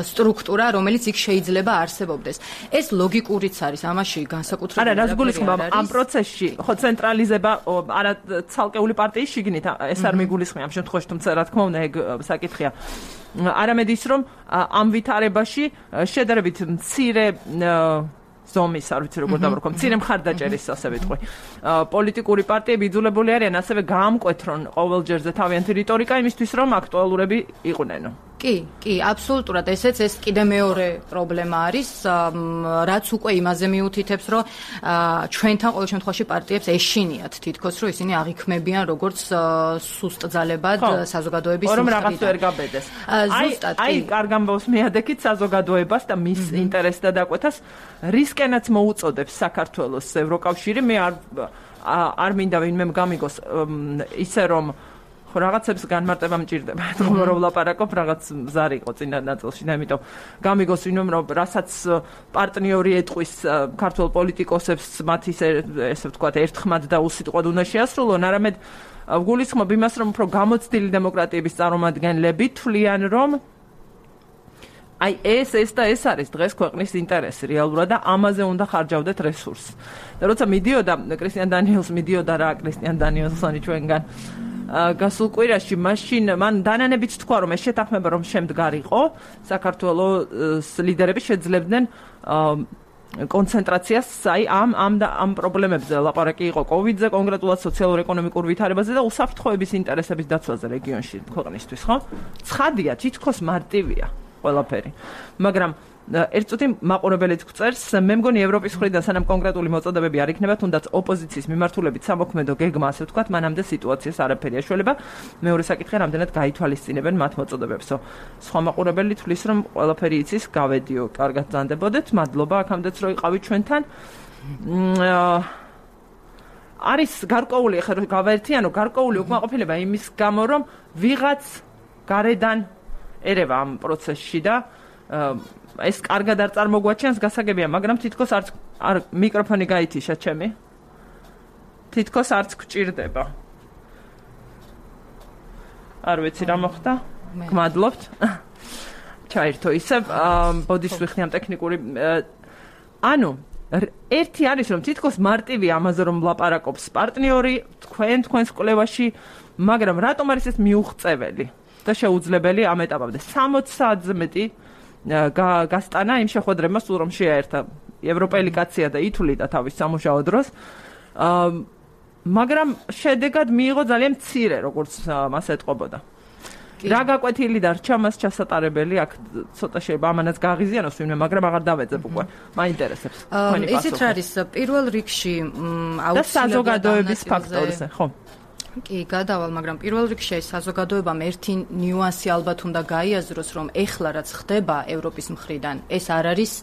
სტრუქტურა, რომელიც იქ შეიძლება არსებობდეს. ეს ლოგიკურიც არის, ამაში განსაკუთრებული. არა, რას გულისხმობ ამ პროცესში? ხო, ცენტრალიზება არა ცალკეული პარტიის შიგნით, ეს არ მიგულისხმება ამ შემთხვევაში, თუმცა რა თქმა უნდა, ეგ საკითხია. არამედ ის, რომ ამ ვითარებაში შედარებით მცირე ზომის, არ ვიცი როგორ დავარქვა, მცირე მხარდაჭერის ასე ვიტყვი. პოლიტიკური პარტიები იძულებული არიან ასევე გაამკვეთრონ ყოველ ჯერზე თავიანთი რიტორიკა იმისთვის, რომ აქტუალურები იყვნენ. კი, კი, აბსოლუტურად. ესეც ეს კიდე მეორე პრობლემა არის, რაც უკვე იმაზე მიუთითებს, რომ ჩვენთან ყოველ შემთხვევაში პარტიებს ეშინიათ თითქოს, რომ ისინი აღიქმებიან როგორც სუსტ ძალებად საზოგადოების მხრიდან. რომ რაღაც ვერ გაბედეს. ზუსტად, კი. აი, კარგ ამბავს მიადექით საზოგადოებას და მის ინტერესს და დაკვეთას რისკენაც მოუწოდებს საქართველოს ევროკავშირი. მე არ არ მინდა ვინმე გამიგოს ისე რომ ხო რაღაცებს განმარტება მჭირდება. თქო რომ ვლაპარაკობ რაღაც ზარი იყო წინა ნაწილში და ამიტომ გამიგოს ვინმე რომ რასაც პარტნიორი ეტყვის ქართულ პოლიტიკოსებს მათი ესე ვთქვათ ერთხმად და უსიტყვად უნდა შეასრულონ, არამედ გულისხმობ იმას, რომ უფრო გამოცდილი დემოკრატიების წარმომადგენლები თვლიან, რომ აი ეს ეს და ეს არის დღეს ქვეყნის ინტერესი რეალურად და ამაზე უნდა ხარჯავდეთ რესურსს. და როცა მიდიოდა კრისტიან დანიელს მიდიოდა რა კრისტიან დანიელსონი ჩვენგან გასულ კვირაში, მაშინ მან დანანებიც თქვა, რომ ეს შეთანხმება რომ შემდგარიყო, საქართველოს ლიდერები შეძლებდნენ კონცენტრაციას აი ამ ამ და ამ პრობლემებზე ლაპარაკი იყო კოვიდზე, კონკრეტულად სოციალურ-ეკონომიკურ ვითარებაზე და უსაფრთხოების ინტერესების დაცვაზე რეგიონში ქვეყნისთვის, ხო? ცხადია, თითქოს მარტივია ყველაფერი. მაგრამ ერთ წუთი მაყურებელიც გვწერს, მე მგონი ევროპის მხრიდან სანამ კონკრეტული მოწოდებები არ იქნება, თუნდაც ოპოზიციის მიმართულებით სამოქმედო გეგმა, ასე ვთქვათ, მანამდე სიტუაციას არაფერი აშველება. მეორე საკითხი, რამდენად გაითვალისწინებენ მათ მოწოდებებსო. სხვა მაყურებელი თვლის, რომ ყველაფერი იცის, გავედიო, კარგად ბრძანდებოდეთ. მადლობა აქამდეც რომ იყავით ჩვენთან. არის გარკვეული, ახლა გავაერთიანო, გარკვეული უკმაყოფილება იმის გამო, რომ ვიღაც გარედან ერევა ამ პროცესში და ეს კარგად არ წარმოგვაჩენს, გასაგებია, მაგრამ თითქოს არც არ მიკროფონი გაითიშა ჩემი. თითქოს არც გჭირდება. არ ვიცი რა მოხდა. გმადლობთ. ჩაერთო ისევ, ბოდიშ ვიხდი ამ ტექნიკური ანუ ერთი არის რომ თითქოს მარტივი ამაზე რომ ლაპარაკობს პარტნიორი თქვენ თქვენს კვლევაში, მაგრამ რატომ არის ეს მიუღწეველი? და შეუძლებელი ამ ეტაპამდე. სამოცი საათზე მეტი გასტანა იმ შეხვედრებმა სულ რომ შეაერთა ევროპელი კაცია და ითვლიდა თავის სამუშაო დროს. მაგრამ შედეგად მიიღო ძალიან მცირე, როგორც მას ეტყობოდა. რა გაკვეთილი დარჩა მას ჩასატარებელი, აქ ცოტა შეიძლება ამანაც გააღიზიანოს ვინმე, მაგრამ აღარ დავეძებ უკვე. მაინტერესებს. ისიც რა არის პირველ რიგში და საზოგადოების ფაქტორზე, ხო? კი, გადავალ, მაგრამ პირველ რიგში ეს საზოგადოებამ ერთი ნიუანსი ალბათ უნდა გაიაზროს, რომ ეხლა რაც ხდება ევროპის მხრიდან, ეს არ არის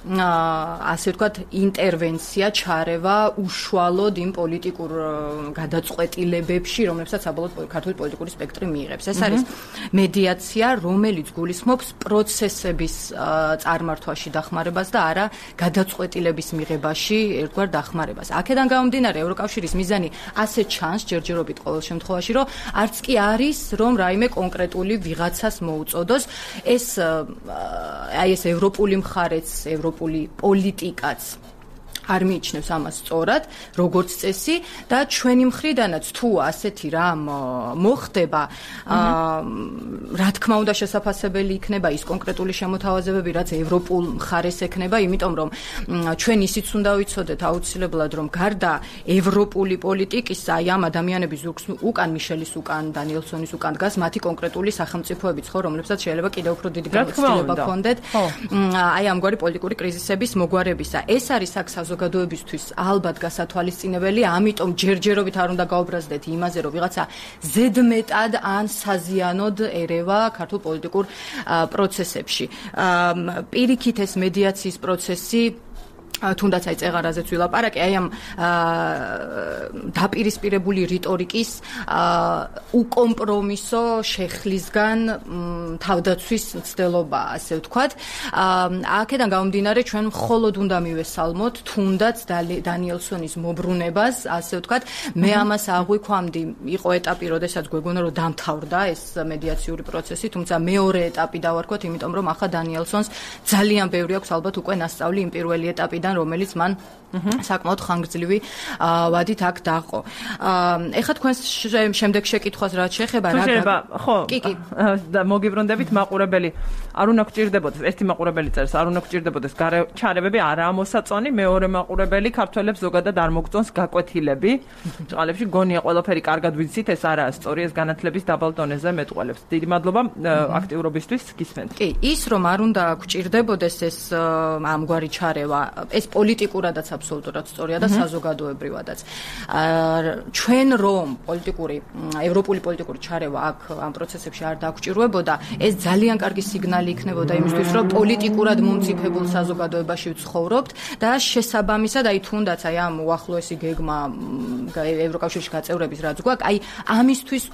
ასე ვთქვათ, ინტერვენცია, ჩარევა უშუალოდ იმ პოლიტიკურ გადაწყვეტილებებში, რომლებსაც საბოლოოდ ქართული პოლიტიკური სპექტრი მიიღებს. ეს არის მედიაცია, რომელიც გულისხმობს პროცესების წარმართვაში დახმარებას და არა გადაწყვეტილების მიღებაში ერთგვარ დახმარებას. აქედან გამომდინარე, ევროკავშირის მიზანი ასე ჩანს ჯერჯერობით ყოველ შემთხვევაში, რომ არც კი არის, რომ რაიმე კონკრეტული ვიღაცას მოუწოდოს. ეს აი ეს ევროპული მხარეც, ევროპული პოლიტიკაც არ მიიჩნევს ამას სწორად, როგორც წესი და ჩვენი მხრიდანაც თუ ასეთი რამ მოხდება, რა თქმა უნდა შესაძლებელი იქნება ის კონკრეტული შემოთავაზებები, რაც ევროპულ მხარეს ექნება, იმიტომ რომ ჩვენ ისიც უნდა ვიცოდეთ აუცილებლად, რომ გარდა ევროპული პოლიტიკის, აი ამ ადამიანების ზურგს უკან მიშელის უკან, დანიელსონის უკან დგას მათი კონკრეტული სახელმწიფოებიც, ხო, რომლებსაც შეიძლება კიდევ უფრო დიდი გამოცდილება ჰქონდეთ, აი ამგვარი პოლიტიკური კრიზისების მოგვარებისა. ეს არის აქ საზოგადოებისთვის ალბათ გასათვალისწინებელი, ამიტომ ჯერჯერობით არ უნდა გაუბრაზდეთ იმაზე, რომ ვიღაცა ზედმეტად ან საზიანოდ ერევა ქართულ პოლიტიკურ პროცესებში. პირიქით ეს მედიაციის პროცესი თუნდაც აი წეღარაზეც ვილაპარაკე, აი ამ დაპირისპირებული რიტორიკის უკომპრომისო შეხლისგან თავდაცვის მცდელობა, ასე ვთქვათ. აქედან გამომდინარე, ჩვენ მხოლოდ უნდა მივესალმოთ თუნდაც დანიელსონის მობრუნებას, ასე ვთქვათ. მე ამას აღვიქვამდი, იყო ეტაპი, როდესაც გვეგონა რომ დამთავრდა ეს მედიაციური პროცესი, თუმცა მეორე ეტაპი დავარქვათ, იმიტომ რომ ახლა დანიელსონს ძალიან ბევრი აქვს ალბათ უკვე ნასწავლი იმ პირველი ეტაპიდან, რომელიც მან საკმაოდ ხანგრძლივი ვადით აქ დაყო. ეხლა თქვენს შემდეგ შეკითხვას რაც შეეხება რა ხო და მოგიბრუნდებით მაყურებელი არ უნდა გჭირდებოდეს ერთი მაყურებელი წერს არ უნდა გჭირდებოდეს ჩარევები არაა მოსაწონი, მეორე მაყურებელი ქართველებს ზოგადად არ მოგწონს გაკვეთილები. ჭყალებში გონია ყველაფერი კარგად ვიცით, ეს არაა სწორი, ეს განათლების დაბალ დონეზე მეტყველებს. დიდი მადლობა აქტიურობისთვის, გისმენთ. კი, ის რომ არ უნდა გჭირდებოდეს ეს ამგვარი ჩარევა, ეს პოლიტიკურადაც აბსოლუტურად სწორია და საზოგადოებრივადაც. ჩვენ რომ პოლიტიკური, ევროპული პოლიტიკური ჩარევა აქ ამ პროცესებში არ დაგჭირვებოდა, ეს ძალიან კარგი სიგნალი იქნებოდა იმისთვის, რომ პოლიტიკურად მომწიფებულ საზოგადოებაში ვცხოვრობთ და შესაბამისად, აი თუნდაც აი ამ უახლოესი გეგმა ევროკავშირში გაწევრების რაც გვაქვს, აი ამისთვის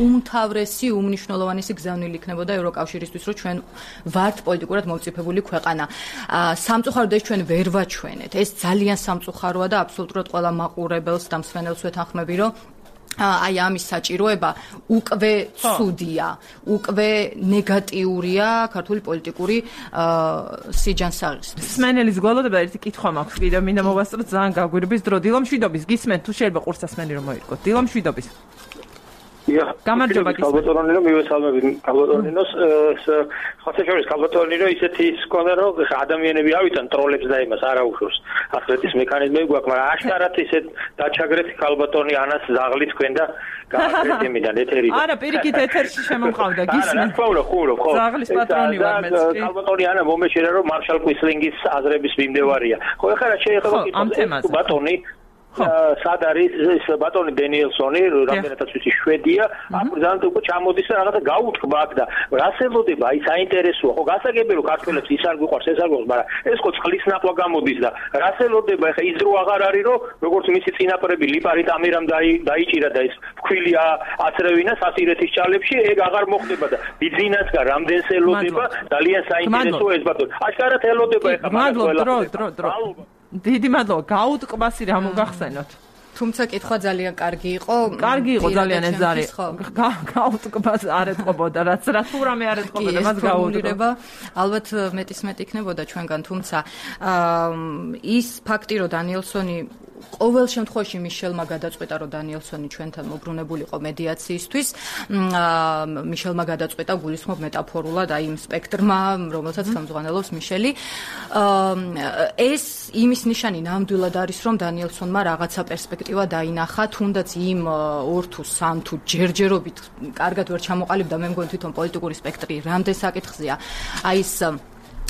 უმთავრესი, უმნიშვნელოვანესი გზავნილი იქნებოდა ევროკავშირისთვის, რომ ჩვენ ვართ პოლიტიკურად მომწიფებული ქვეყანა. სამწუხაროდ ეს ჩვენ ვერ ვაჩვენეთ. ეს ძალიან სამწუხაროა და აბსოლუტურად ყველა მაყურებელს და მსმენელს ვეთანხმები, რომ აი ამის საჭიროება უკვე ცუდია, უკვე ნეგატიურია ქართული პოლიტიკური სიჯანსაღისთვის. მსმენელის გვალოდება ერთი კითხვა მაქვს, კიდევ მინდა მოვასწროთ ძალიან გაგვირბის დრო. დილო მშვიდობის, გისმენთ თუ შეიძლება ყურსასმენი რომ მოირკოთ. დილო მშვიდობის. გამარჯობა გისმენთ. კალბატონი რომ მივესალმებით კალბატონინოს, ხოთეშორის კალბატონი რომ ისეთი სკოლა რომ ადამიანები ავიდან ტროლებს და იმას არ აუშვებს. ახლა ეს მექანიზმები გვაქვს, მაგრამ აშკარად ისეთ დაჩაგრეთ კალბატონი ანას ზაღლი თქვენ და გააკეთეთ იმიდან ეთერიდან. არა, პირიქით ეთერში შემომყავდა, გისმენთ. ხო, ხო, ხო. ზაღლის პატრონი ვარ მეც. კალბატონი ანა მომეშერა რომ მარშალ კვისლინგის აზრების მიმდევარია. ხო, ეხლა რა შეიძლება კითხო ბატონი სად არის ეს ბატონი დენიელსონი, რამდენადაც ვიცი შვედია, აქ ძალიან უკვე ჩამოდის და რაღაცა გაუთქვა აქ და რას ელოდება, აი საინტერესოა, ხო გასაგებია რომ ქართველებს ის არ გვიყვარს, ეს არ გვიყვარს, მაგრამ ეს ხო წყლის ნახვა გამოდის და რას ელოდება, ეხა ის დრო აღარ არის, რომ როგორც მისი წინაპრები ლიპარიტ ამირამ დაიჭირა და ეს ფქვილი აცრევინა სასირეთის ჭალებში, ეგ აღარ მოხდება და ბიზნესგან რამდენს ელოდება, ძალიან საინტერესოა ეს ბატონი. აშკარად ელოდება ეხა მადლობა, დრო, დრო, დრო. დიდი მადლობა, გაუტკბასი რა მოგახსენოთ. თუმცა კითხვა ძალიან კარგი იყო. კარგი იყო ძალიან ეს არის. გაუტკბას არ ეთყობოდა, რაც რა თუ რამე არ ეთყობოდა, მას გაუტკბა. ალბათ მეტის მეტი იქნებოდა ჩვენგან, თუმცა ის ფაქტი, რომ დანიელსონი ყოველ შემთხვევაში მიშელმა გადაწყვეტა, რომ დანიელსონი ჩვენთან მოbrunებულიყო მედიაციისთვის. მიშელმა გადაწყვეტა გულისხმობ მეტაფორულად აი იმ სპექტრმა, რომელსაც ხელმძღვანელობს მიშელი. ეს იმის ნიშანი ნამდვილად არის, რომ დანიელსონმა რაღაცა პერსპექტივა დაინახა, თუნდაც იმ ორ თუ სამ თუ ჯერჯერობით კარგად ვერ ჩამოყალიბდა, მე მგონი თვითონ პოლიტიკური სპექტრი რამდენ საკითხზეა. აი ეს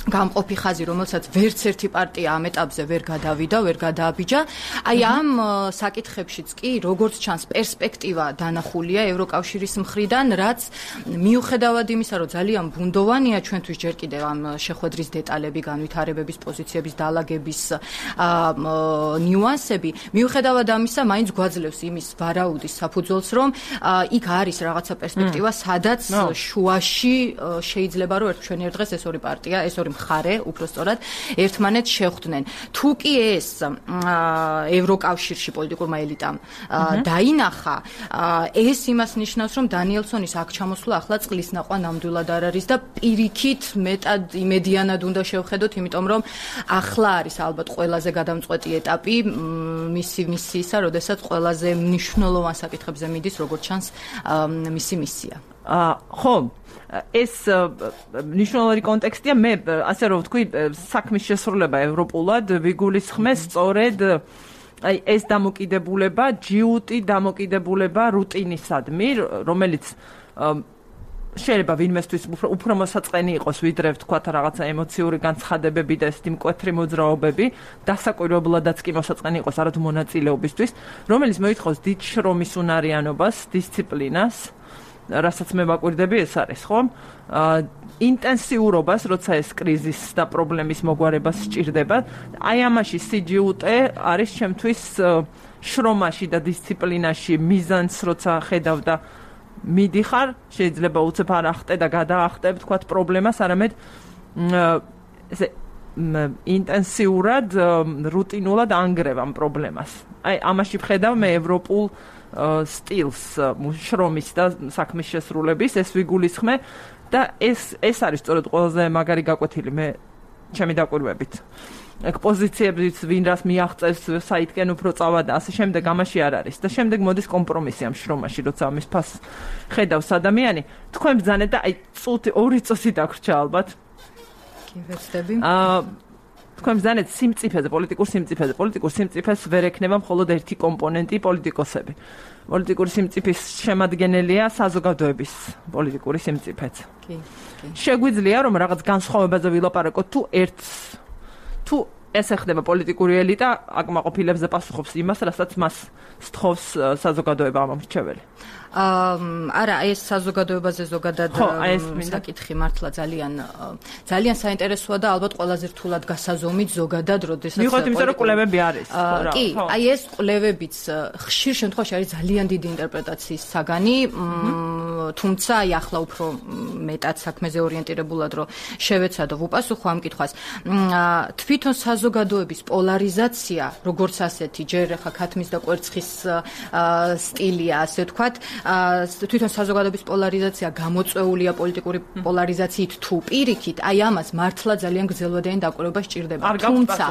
გამყოფი ხაზი, რომელსაც ვერც ერთი პარტია ამ ეტაპზე ვერ გადავიდა, ვერ გადააბიჯა. აი ამ საკითხებშიც კი, როგორც ჩანს, პერსპექტივა დანახულია ევროკავშირის მხრიდან, რაც მიუხედავად იმისა, რომ ძალიან ბუნდოვანია ჩვენთვის ჯერ კიდევ ამ შეხვედრის დეტალები, განვითარებების, პოზიციების დალაგების ნიუანსები, მიუხედავად ამისა, მაინც გვაძლევს იმის ვარაუდის საფუძველს, რომ იქ არის რაღაცა პერსპექტივა, სადაც შუაში შეიძლება რომ ჩვენი ერთ დღეს ეს ორი პარტია, ეს ორი მხარე, უფრო სწორად, ერთმანეთს შეხვდნენ. თუ კი ეს ევროკავშირში პოლიტიკურმა ელიტამ დაინახა, ეს იმას ნიშნავს, რომ დანიელსონის აქ ჩამოსვლა ახლა წყლის ნაყვა ნამდვილად არ არის და პირიქით მეტად იმედიანად უნდა შევხედოთ, იმიტომ რომ ახლა არის ალბათ ყველაზე გადამწყვეტი ეტაპი მისი მისიისა, როდესაც ყველაზე მნიშვნელოვან საკითხებზე მიდის, როგორც ჩანს, მისი მისია. ხო, ეს მნიშვნელოვანი კონტექსტია. მე ასე რომ ვთქვი, საქმის შესრულება ევროპულად ვიგულისხმეს სწორედ აი ეს დამოკიდებულება, ჯიუტი დამოკიდებულება რუტინისადმი, რომელიც შეიძლება ვინმესთვის უფრო მოსაწყენი იყოს, ვიდრე ვთქვათ რაღაცა ემოციური განცხადებები და ესეთი მკვეთრი მოძრაობები, დასაკვირვებლადაც კი მოსაწყენი იყოს არათუ მონაწილეობისთვის, რომელიც მოითხოვს დიდ შრომის უნარიანობას, დისციპლინას, რასაც მე ვაკვირდები, ეს არის, ხო? ინტენსიურობას, როცა ეს კრიზის და პრობლემის მოგვარება სჭირდება. აი ამაში სი ჯი იუ ტი არის ჩემთვის შრომაში და დისციპლინაში მიზანს, როცა ხედავ და მიდიხარ, შეიძლება უცებ არ ახტე და გადაახტე, ვთქვათ, პრობლემას, არამედ ესე ინტენსიურად, რუტინულად ანგრევ ამ პრობლემას. აი ამაში ვხედავ მე ევროპულ სტილს შრომის და საქმის შესრულების, ეს ვიგულისხმე და ეს ეს არის სწორედ ყველაზე მაგარი გაკვეთილი მე ჩემი დაკვირვებით. ეგ პოზიციებიც ვინ რას მიაღწევს, საითკენ უფრო წავა და ასე შემდეგ ამაში არ არის. და შემდეგ მოდის კომპრომისი ამ შრომაში, როცა ამის ფასს ხედავს ადამიანი. თქვენ ბრძანეთ და აი წუთი, ორი წუთი დაგვრჩა ალბათ. კი, ვეცდები. აა თქვენ ბრძანეთ სიმწიფეზე, პოლიტიკურ სიმწიფეზე. პოლიტიკურ სიმწიფეს ვერ ექნება მხოლოდ ერთი კომპონენტი, პოლიტიკოსები. პოლიტიკური სიმწიფის შემადგენელია საზოგადოების პოლიტიკური სიმწიფეც. კი, კი. შეგვიძლია რომ რაღაც განსხვავებაზე ვილაპარაკოთ, თუ ერთს თუ ეს ეხება პოლიტიკური ელიტა, აკმაყოფილებს და პასუხობს იმას, რასაც მას სთხოვს საზოგადოება ამომრჩეველი. არა, ეს საზოგადოებაზე ზოგადად საკითხი მართლა ძალიან ძალიან საინტერესოა და ალბათ ყველაზე რთულად გასაზომით ზოგადად, როდესაც მიუხედავად იმისა, რომ კვლევები არის. კი, აი ეს კვლევებიც ხშირ შემთხვევაში არის ძალიან დიდი ინტერპრეტაციის საგანი, თუმცა აი ახლა უფრო მეტად საქმეზე ორიენტირებულად რომ შევეცადო ვუპასუხო ამ კითხვას. თვითონ საზოგადოების პოლარიზაცია, როგორც ასეთი, ჯერ ახლა ქათმის და კვერცხის სტილია, ასე ვთქვათ, თვითონ საზოგადოების პოლარიზაცია გამოწვეულია პოლიტიკური პოლარიზაციით თუ პირიქით, აი ამას მართლა ძალიან გრძელვადიანი დაკვირვება სჭირდება. თუმცა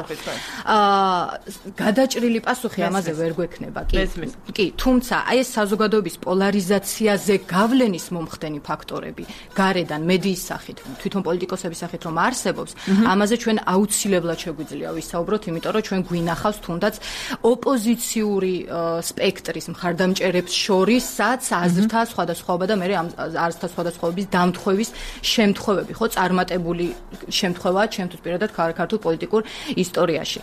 გადაჭრილი პასუხი ამაზე ვერ გვექნება, კი. კი, თუმცა აი ეს საზოგადოების პოლარიზაციაზე გავლენის მომხდენი ფაქტორები, გარედან მედიის სახით, თვითონ პოლიტიკოსების სახით რომ არსებობს, ამაზე ჩვენ აუცილებლად შეგვიძლია ვისაუბროთ, იმიტომ რომ ჩვენ გვინახავს თუნდაც ოპოზიციური სპექტრის მხარდამჭერებს შორისაც აზრთა სხვადასხვაობა და მე ამ აზრთა სხვადასხვაობის დამთხვევის შემთხვევები, ხო, წარმატებული შემთხვევაა ჩემთვის პირადად ქართულ პოლიტიკურ ისტორიაში.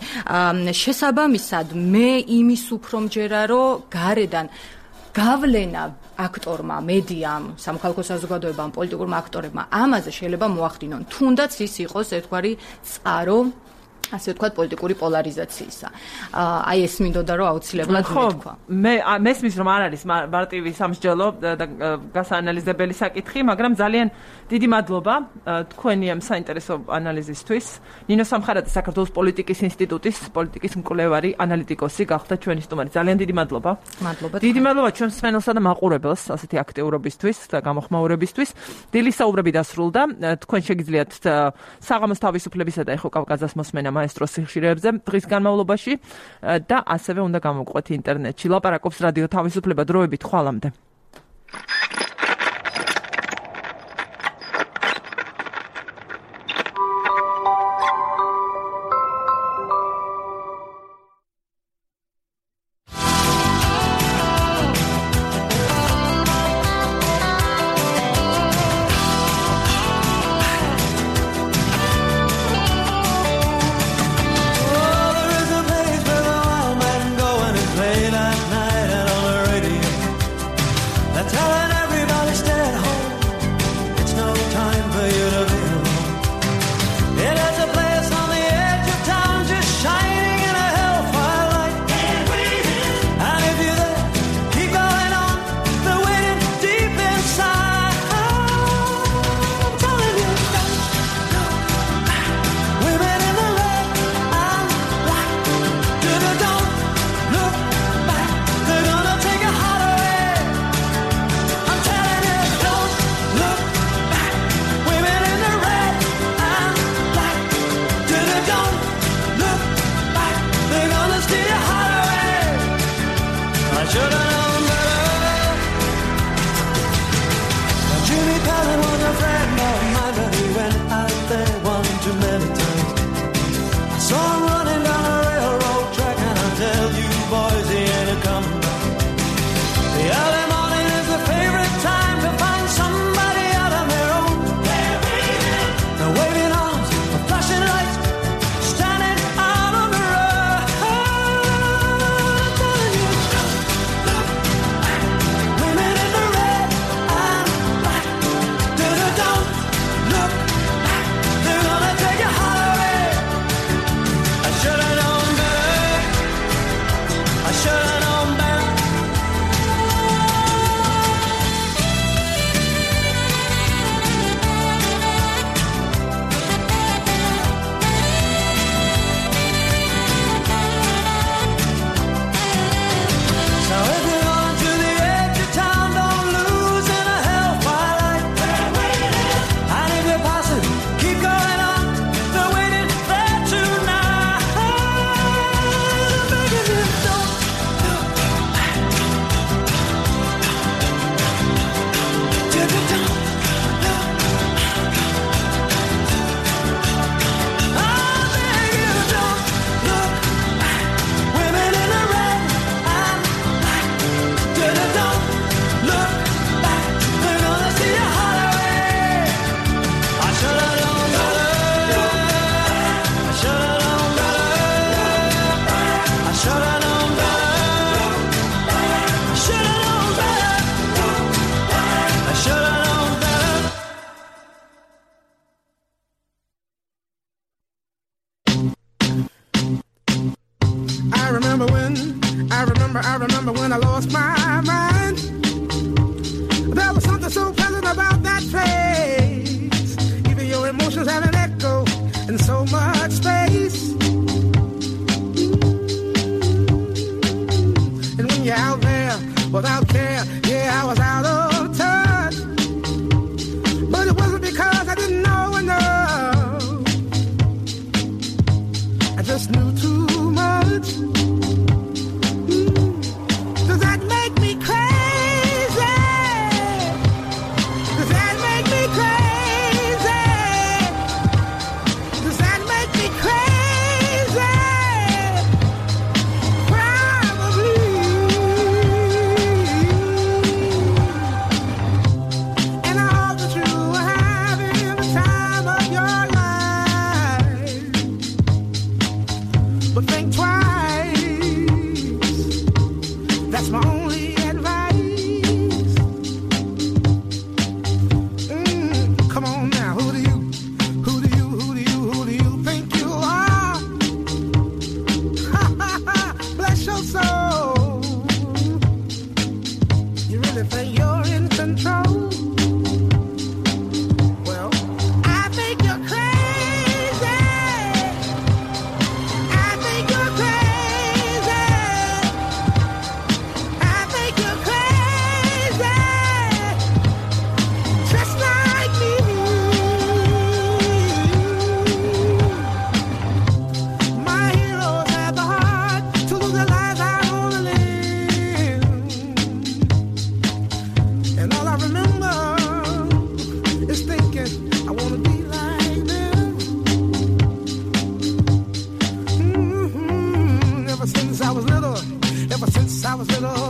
შესაბამისად, მე იმის უფრო მჯერა, რომ გარედან გავლენა აქტორმა, მედიამ, სამხალხო საზოგადოებამ, პოლიტიკურმა აქტორებმა ამაზე შეიძლება მოახდინონ. თუნდაც ის იყოს ერთგვარი წყარო ასე ვთქვათ, პოლიტიკური პოლარიზაციისა. აი ეს მინდოდა რომ აუცილებლად მეთქვა. მე მესმის რომ არ არის მარტივი სამსჯელო და გასაანალიზებელი საკითხი, მაგრამ ძალიან დიდი მადლობა თქვენი ამ საინტერესო ანალიზისთვის. ნინო სამხარაძე, საქართველოს პოლიტიკის ინსტიტუტის პოლიტიკის მკვლევარი, ანალიტიკოსი გახდა ჩვენი სტუმარი. ძალიან დიდი მადლობა. მადლობა. დიდი მადლობა ჩვენს მსმენელსა და მაყურებელს ასეთი აქტიურობისთვის და გამოხმაურებისთვის. დილის საუბრები დასრულდა. თქვენ შეგიძლიათ საღამოს თავისუფლებისა და ეხო კავკასიის მოსმენა მაესტროს სიხშირეებზე დღის განმავლობაში და ასევე უნდა გამოვყვეთ ინტერნეტში. ლაპარაკობს რადიო თავისუფლება, დროებით ხვალამდე.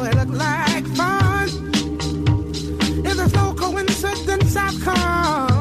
it looked like fun. If there's no coincidence, I've come.